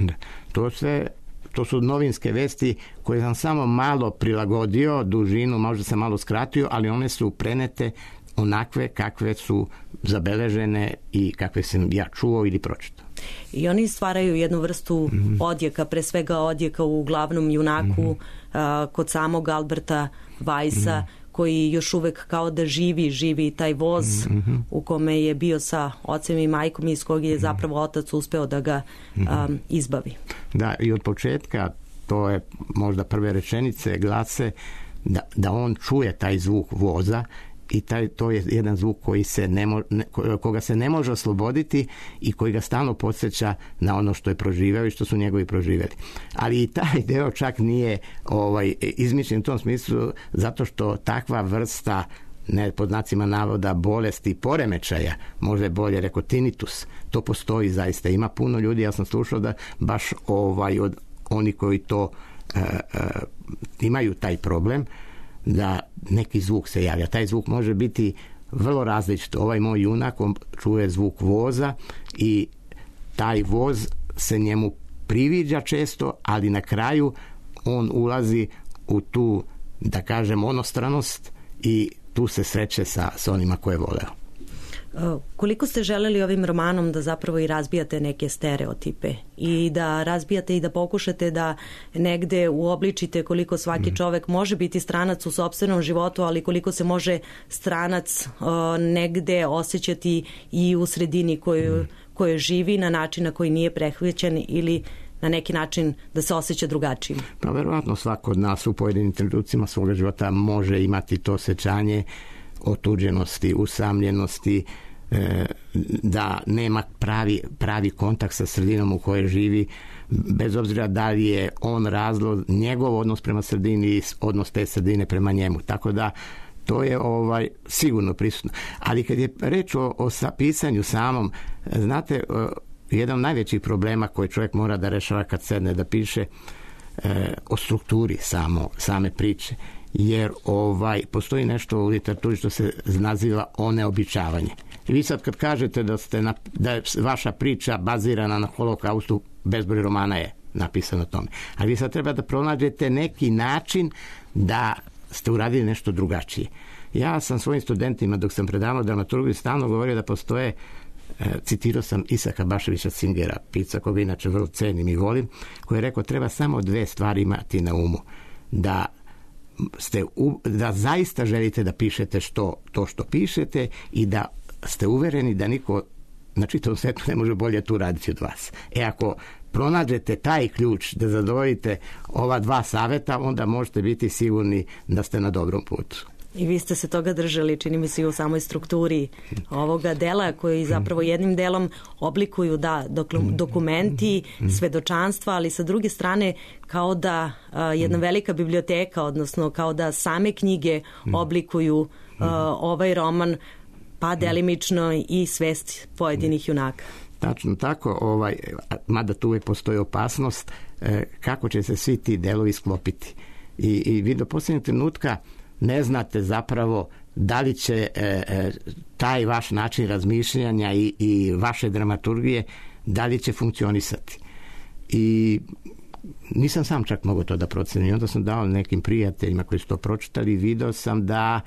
To su novinske vesti koje sam samo malo prilagodio, dužinu možda sam malo skratio, ali one su prenete onakve kakve su zabeležene i kakve sam ja čuo ili pročitao. I oni stvaraju jednu vrstu odjeka, pre svega odjeka u glavnom junaku, kod samog Alberta Weissa, koji još uvek kao da živi taj voz u kome je bio sa ocem i majkom, iz kog je zapravo otac uspeo da ga izbavi. Da, i od početka, to je možda prve rečenice, glase da on čuje taj zvuk voza i to je jedan zvuk koga se ne može osloboditi i koji ga stalno podsjeća na ono što je proživeo i što su njegovi proživjeli. Ali i taj deo čak nije izmišljen u tom smislu, zato što takva vrsta, ne pod znacima navoda, bolesti i poremećaja, možda je bolje rekao tinnitus, to postoji zaista. Ima puno ljudi, ja sam slušao da baš od oni koji to imaju taj problem, da neki zvuk se javlja. Taj zvuk može biti vrlo različit. Ovaj moj junak, on čuje zvuk voza i taj voz se njemu priviđa često, ali na kraju on ulazi u tu, da kažem, onostranost i tu se sreće sa onima koje je voleo. Koliko ste želeli ovim romanom da zapravo i razbijate neke stereotipe i da razbijate i da pokušate da negde uobličite koliko svaki čovek može biti stranac u sopstvenom životu, ali koliko se može stranac negde osjećati i u sredini koju živi na način na koji nije prehvaćen ili na neki način da se osjeća drugačijim? Pa verovatno svako od nas u pojedinim trenucima svoga života može imati to osjećanje otuđenosti, usamljenosti, da nema pravi kontakt sa sredinom u kojoj živi, bez obzira da li je on razlog, njegov odnos prema sredini i odnos te sredine prema njemu. Tako da to je sigurno prisutno. Ali kad je reč o pisanju samom, znate, jedan od najvećih problema koje čovjek mora da rešava kad sedne da piše o strukturi same priče, jer postoji nešto u literaturi što se naziva oneobičavanje. I vi sad kad kažete da je vaša priča bazirana na holokaustu, bezbroj romana je napisano o tome. Ali vi sad treba da pronađete neki način da ste uradili nešto drugačije. Ja sam svojim studentima dok sam predavao dramaturgiju stalno govorio da postoje, citirao sam Isaka Baševića Singera, pisca koga inače vrlo cenim i volim, koji je rekao treba samo 2 stvari imati na umu. Da zaista želite da pišete to što pišete i da ste uvereni da niko na čitavom svetu ne može bolje tu raditi od vas. Ako pronađete taj ključ da zadovoljite ova 2 saveta, onda možete biti sigurni da ste na dobrom putu. I vi ste se toga držali, čini mi se, i u samoj strukturi ovoga dela koji zapravo jednim delom oblikuju dokumenti, svedočanstva, ali sa druge strane kao da jedna velika biblioteka, odnosno kao da same knjige oblikuju ovaj roman, pa delimično i svest pojedinih junaka. Tačno tako, mada tu uvijek postoji opasnost kako će se svi ti delovi sklopiti. I vi do posljednjeg trenutka ne znate zapravo da li će taj vaš način razmišljanja i vaše dramaturgije, da li će funkcionisati. I nisam sam čak mogao to da procenim. Onda sam dao nekim prijateljima koji su to pročitali i video sam da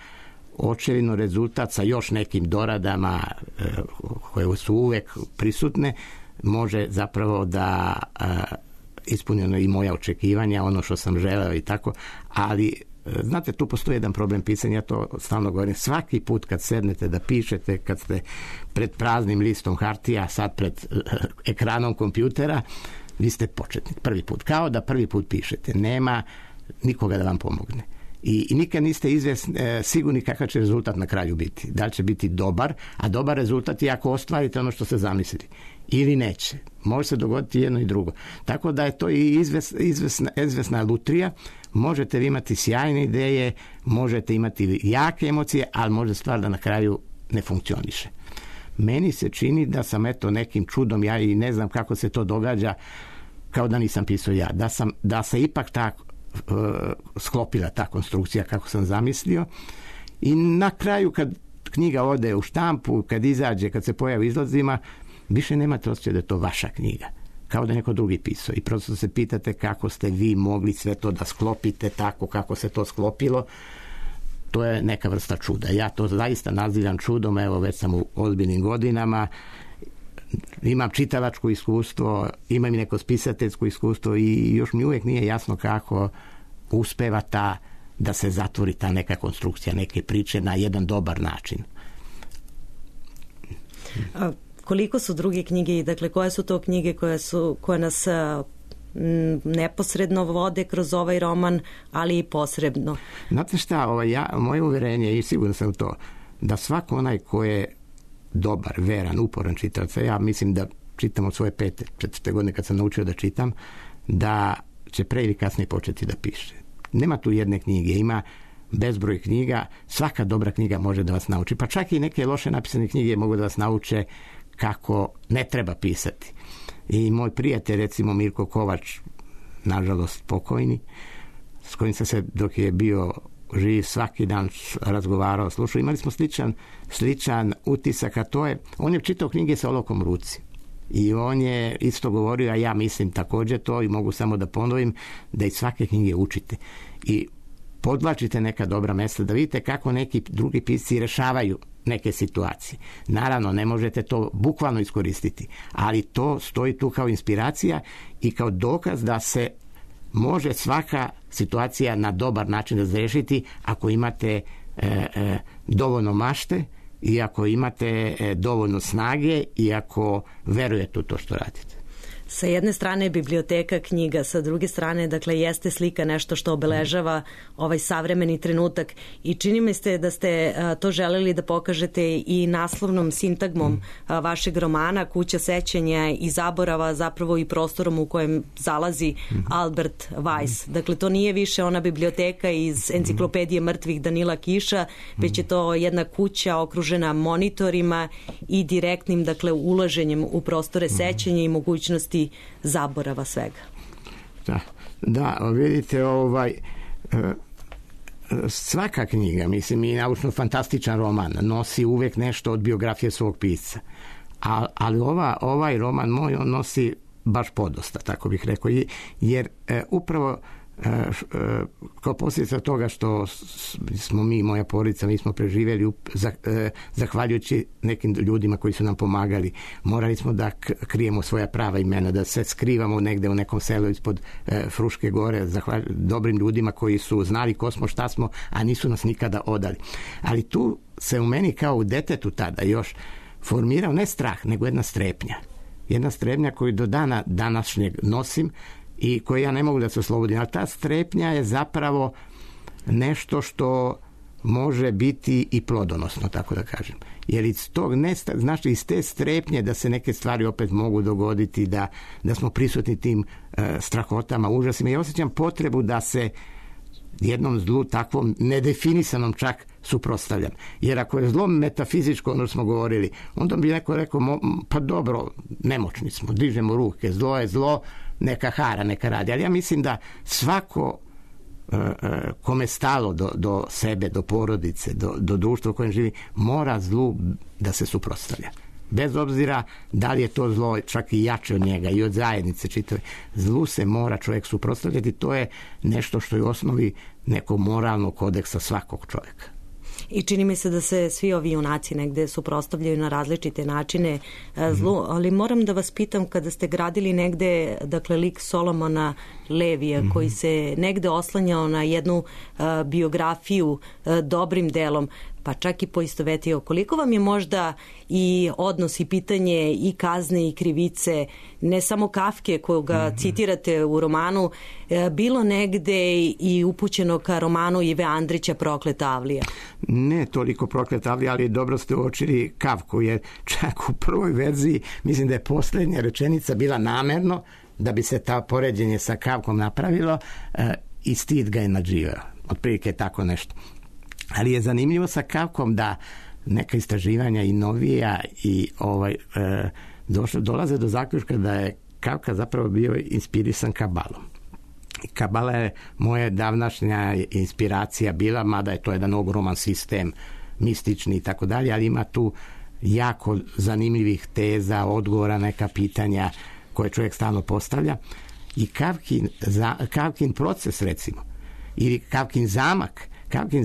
očevino rezultat sa još nekim doradama koje su uvek prisutne može zapravo da ispunjeno i moja očekivanja, ono što sam želeo i tako, ali znate, tu postoji jedan problem pisanja, ja to stalno govorim. Svaki put kad sednete da pišete, kad ste pred praznim listom hartija, sad pred ekranom kompjutera, vi ste početnik. Prvi put. Kao da prvi put pišete. Nema nikoga da vam pomogne. I nikad niste sigurni kakav će rezultat na kraju biti. Da li će biti dobar, a dobar rezultat je ako ostvarite ono što ste zamislili. Ili neće. Može se dogoditi jedno i drugo. Tako da je to i izvesna lutrija. Možete vi imati sjajne ideje, možete imati jake emocije, ali može stvar da na kraju ne funkcioniše. Meni se čini da sam nekim čudom, ja i ne znam kako se to događa, kao da nisam pisao ja, da se ipak sklopila ta konstrukcija kako sam zamislio i na kraju kad knjiga ode u štampu, kad izađe, kad se pojavi izlazima, više nemate osjećaj da je to vaša knjiga. Kao da neko drugi pisao. I prosto se pitate kako ste vi mogli sve to da sklopite tako kako se to sklopilo. To je neka vrsta čuda. Ja to zaista nazivam čudom, evo već sam u ozbiljnim godinama, imam čitalačko iskustvo, imam i neko spisateljsko iskustvo i još mi uvijek nije jasno kako uspeva da se zatvori ta neka konstrukcija, neke priče na jedan dobar način. Koliko su druge knjige i dakle koje su to knjige koje nas neposredno vode kroz ovaj roman, ali i posredno? Znate šta, moje uverenje i sigurno sam to, da svako onaj ko je dobar, veran, uporan čitalac, ja mislim da čitam od svoje 4. godine kad sam naučio da čitam, da će pre ili kasnije početi da piše. Nema tu jedne knjige, ima bezbroj knjiga, svaka dobra knjiga može da vas nauči, pa čak i neke loše napisane knjige mogu da vas nauče kako ne treba pisati. I moj prijatelj, recimo Mirko Kovač, nažalost pokojni, s kojim sam se dok je bio živ svaki dan razgovarao, slušao, imali smo sličan utisak, a to je, on je čitao knjige sa olovkom u ruci. I on je isto govorio, a ja mislim također to i mogu samo da ponovim, da iz svake knjige učite. I podvlačite neka dobra mesta, da vidite kako neki drugi pisci rešavaju neke situacije. Naravno, ne možete to bukvalno iskoristiti, ali to stoji tu kao inspiracija i kao dokaz da se može svaka situacija na dobar način razrešiti ako imate dovoljno mašte i ako imate dovoljno snage i ako verujete u to što radite. Sa jedne strane je biblioteka knjiga, sa druge strane, dakle, jeste slika nešto što obeležava ovaj savremeni trenutak i čini mi se da ste to želeli da pokažete i naslovnom sintagmom vašeg romana Kuća sećanja i zaborava, zapravo i prostorom u kojem zalazi Albert Weiss. Dakle, to nije više ona biblioteka iz enciklopedije mrtvih Danila Kiša, već je to jedna kuća okružena monitorima i direktnim, dakle, ulaženjem u prostore sećanja i mogućnosti zaborava svega. Da, vidite, svaka knjiga, mislim, i naučno-fantastičan roman nosi uvek nešto od biografije svog pisca. Ali ovaj roman moj, on nosi baš podosta, tako bih rekao, jer upravo kao posljedica toga što smo mi, moja porodica, mi smo preživjeli zahvaljujući nekim ljudima koji su nam pomagali. Morali smo da krijemo svoja prava imena, da se skrivamo negde u nekom selu ispod Fruške gore, dobrim ljudima koji su znali ko smo, šta smo, a nisu nas nikada odali. Ali tu se u meni kao u detetu tada još formirao ne strah, nego jedna strepnja. Jedna strepnja koju do dana današnjeg nosim i koje ja ne mogu da se oslobodim. Ali ta strepnja je zapravo nešto što može biti i plodonosno, tako da kažem. Jer iz tog, znači iz te strepnje da se neke stvari opet mogu dogoditi, da smo prisutni tim strahotama, užasima. Ja osjećam potrebu da se jednom zlu takvom nedefinisanom čak suprotstavljam. Jer ako je zlo metafizičko, ono smo govorili, onda bi neko rekao, pa dobro, nemoćni smo, dižemo ruke, zlo je zlo, neka hara, neka radi. Ali ja mislim da svako kome stalo do sebe, do porodice, do društva u kojem živi, mora zlu da se suprotstavlja. Bez obzira da li je to zlo čak i jače od njega i od zajednice čitave. Zlu se mora čovjek suprotstavljati. To je nešto što je u osnovi nekog moralnog kodeksa svakog čovjeka. I čini mi se da se svi ovi junaci negde suprotstavljaju na različite načine zlu, ali moram da vas pitam, kada ste gradili negde, dakle, lik Solomona Levija, koji se negde oslanjao na jednu biografiju dobrim delom, pa čak i poistovetio, koliko vam je možda i odnos i pitanje i kazne i krivice, ne samo Kafke koga citirate u romanu, bilo negde i upućeno ka romanu Ive Andrića Prokleta Avlija? Ne toliko Prokleta Avlija, ali dobro ste uočili Kafku, jer čak u prvoj verziji mislim da je posljednja rečenica bila namerno da bi se ta poređenje sa Kafkom napravilo i stid ga je nadživao. Otprilike tako nešto. Ali je zanimljivo sa Kafkom da neka istraživanja i novija i dolaze do zaključka da je Kafka zapravo bio inspirisan Kabalom. Kabala je moja davnašnja inspiracija bila, mada je to jedan ogroman sistem, mistični i tako dalje, ali ima tu jako zanimljivih teza, odgovora, neka pitanja koje čovjek stalno postavlja. I Kafkin proces, recimo, ili Kafkin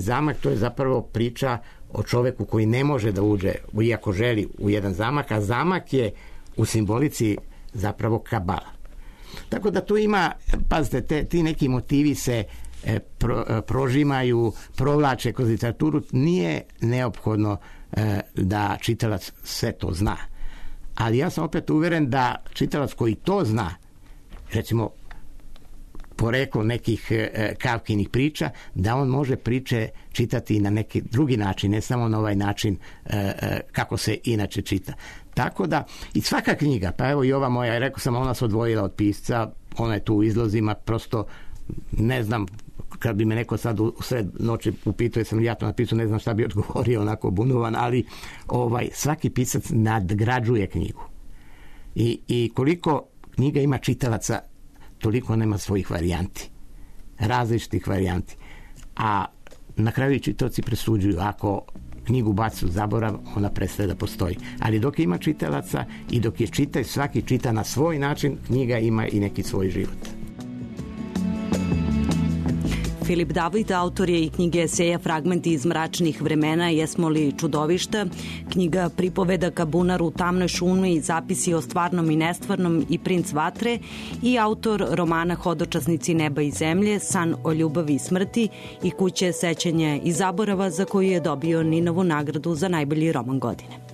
zamak, to je zapravo priča o čoveku koji ne može da uđe, iako želi, u jedan zamak, a zamak je u simbolici zapravo Kabala. Tako da tu ima, pazite, ti neki motivi se prožimaju, provlače kroz literaturu. Nije neophodno da čitalac sve to zna. Ali ja sam opet uveren da čitalac koji to zna, recimo poreklo nekih Kafkinih priča, da on može priče čitati na neki drugi način, ne samo na ovaj način kako se inače čita. Tako da, i svaka knjiga, pa evo i ova moja, rekao sam, ona se odvojila od pisca, ona je tu u izlozima, prosto ne znam, kad bi me neko sad u sred noći upitao, jesam li ja to napisao, ne znam šta bi odgovorio, onako bunovan, ali svaki pisac nadgrađuje knjigu. I koliko knjiga ima čitalaca, toliko nema svojih varijanti, različitih varijanti. A na kraju čitaoci presuđuju, ako knjigu baci u zaborav, ona prestaje da postoji. Ali dok ima čitalaca i dok je čita, svaki čita na svoj način, knjiga ima i neki svoj život. Filip David autor je i knjige eseja Fragmenti iz mračnih vremena, Jesmo li čudovišta, knjiga pripovedaka Bunar u tamnoj šumi, Zapisi o stvarnom i nestvarnom i Princ vatre, i autor romana Hodočasnici neba i zemlje, San o ljubavi i smrti i Kuće sećanja i zaborava, za koju je dobio Ninovu nagradu za najbolji roman godine.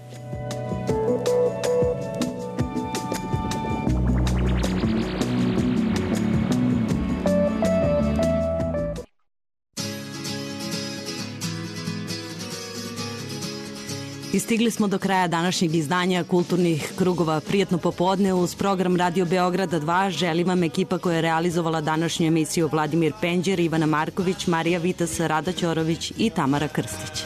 I stigli smo do kraja današnjeg izdanja Kulturnih krugova. Prijatno popodne uz program Radio Beograda 2. Želim vam ekipa koja je realizovala današnju emisiju: Vladimir Penđer, Ivana Marković, Marija Vitas, Rada Ćorović i Tamara Krstić.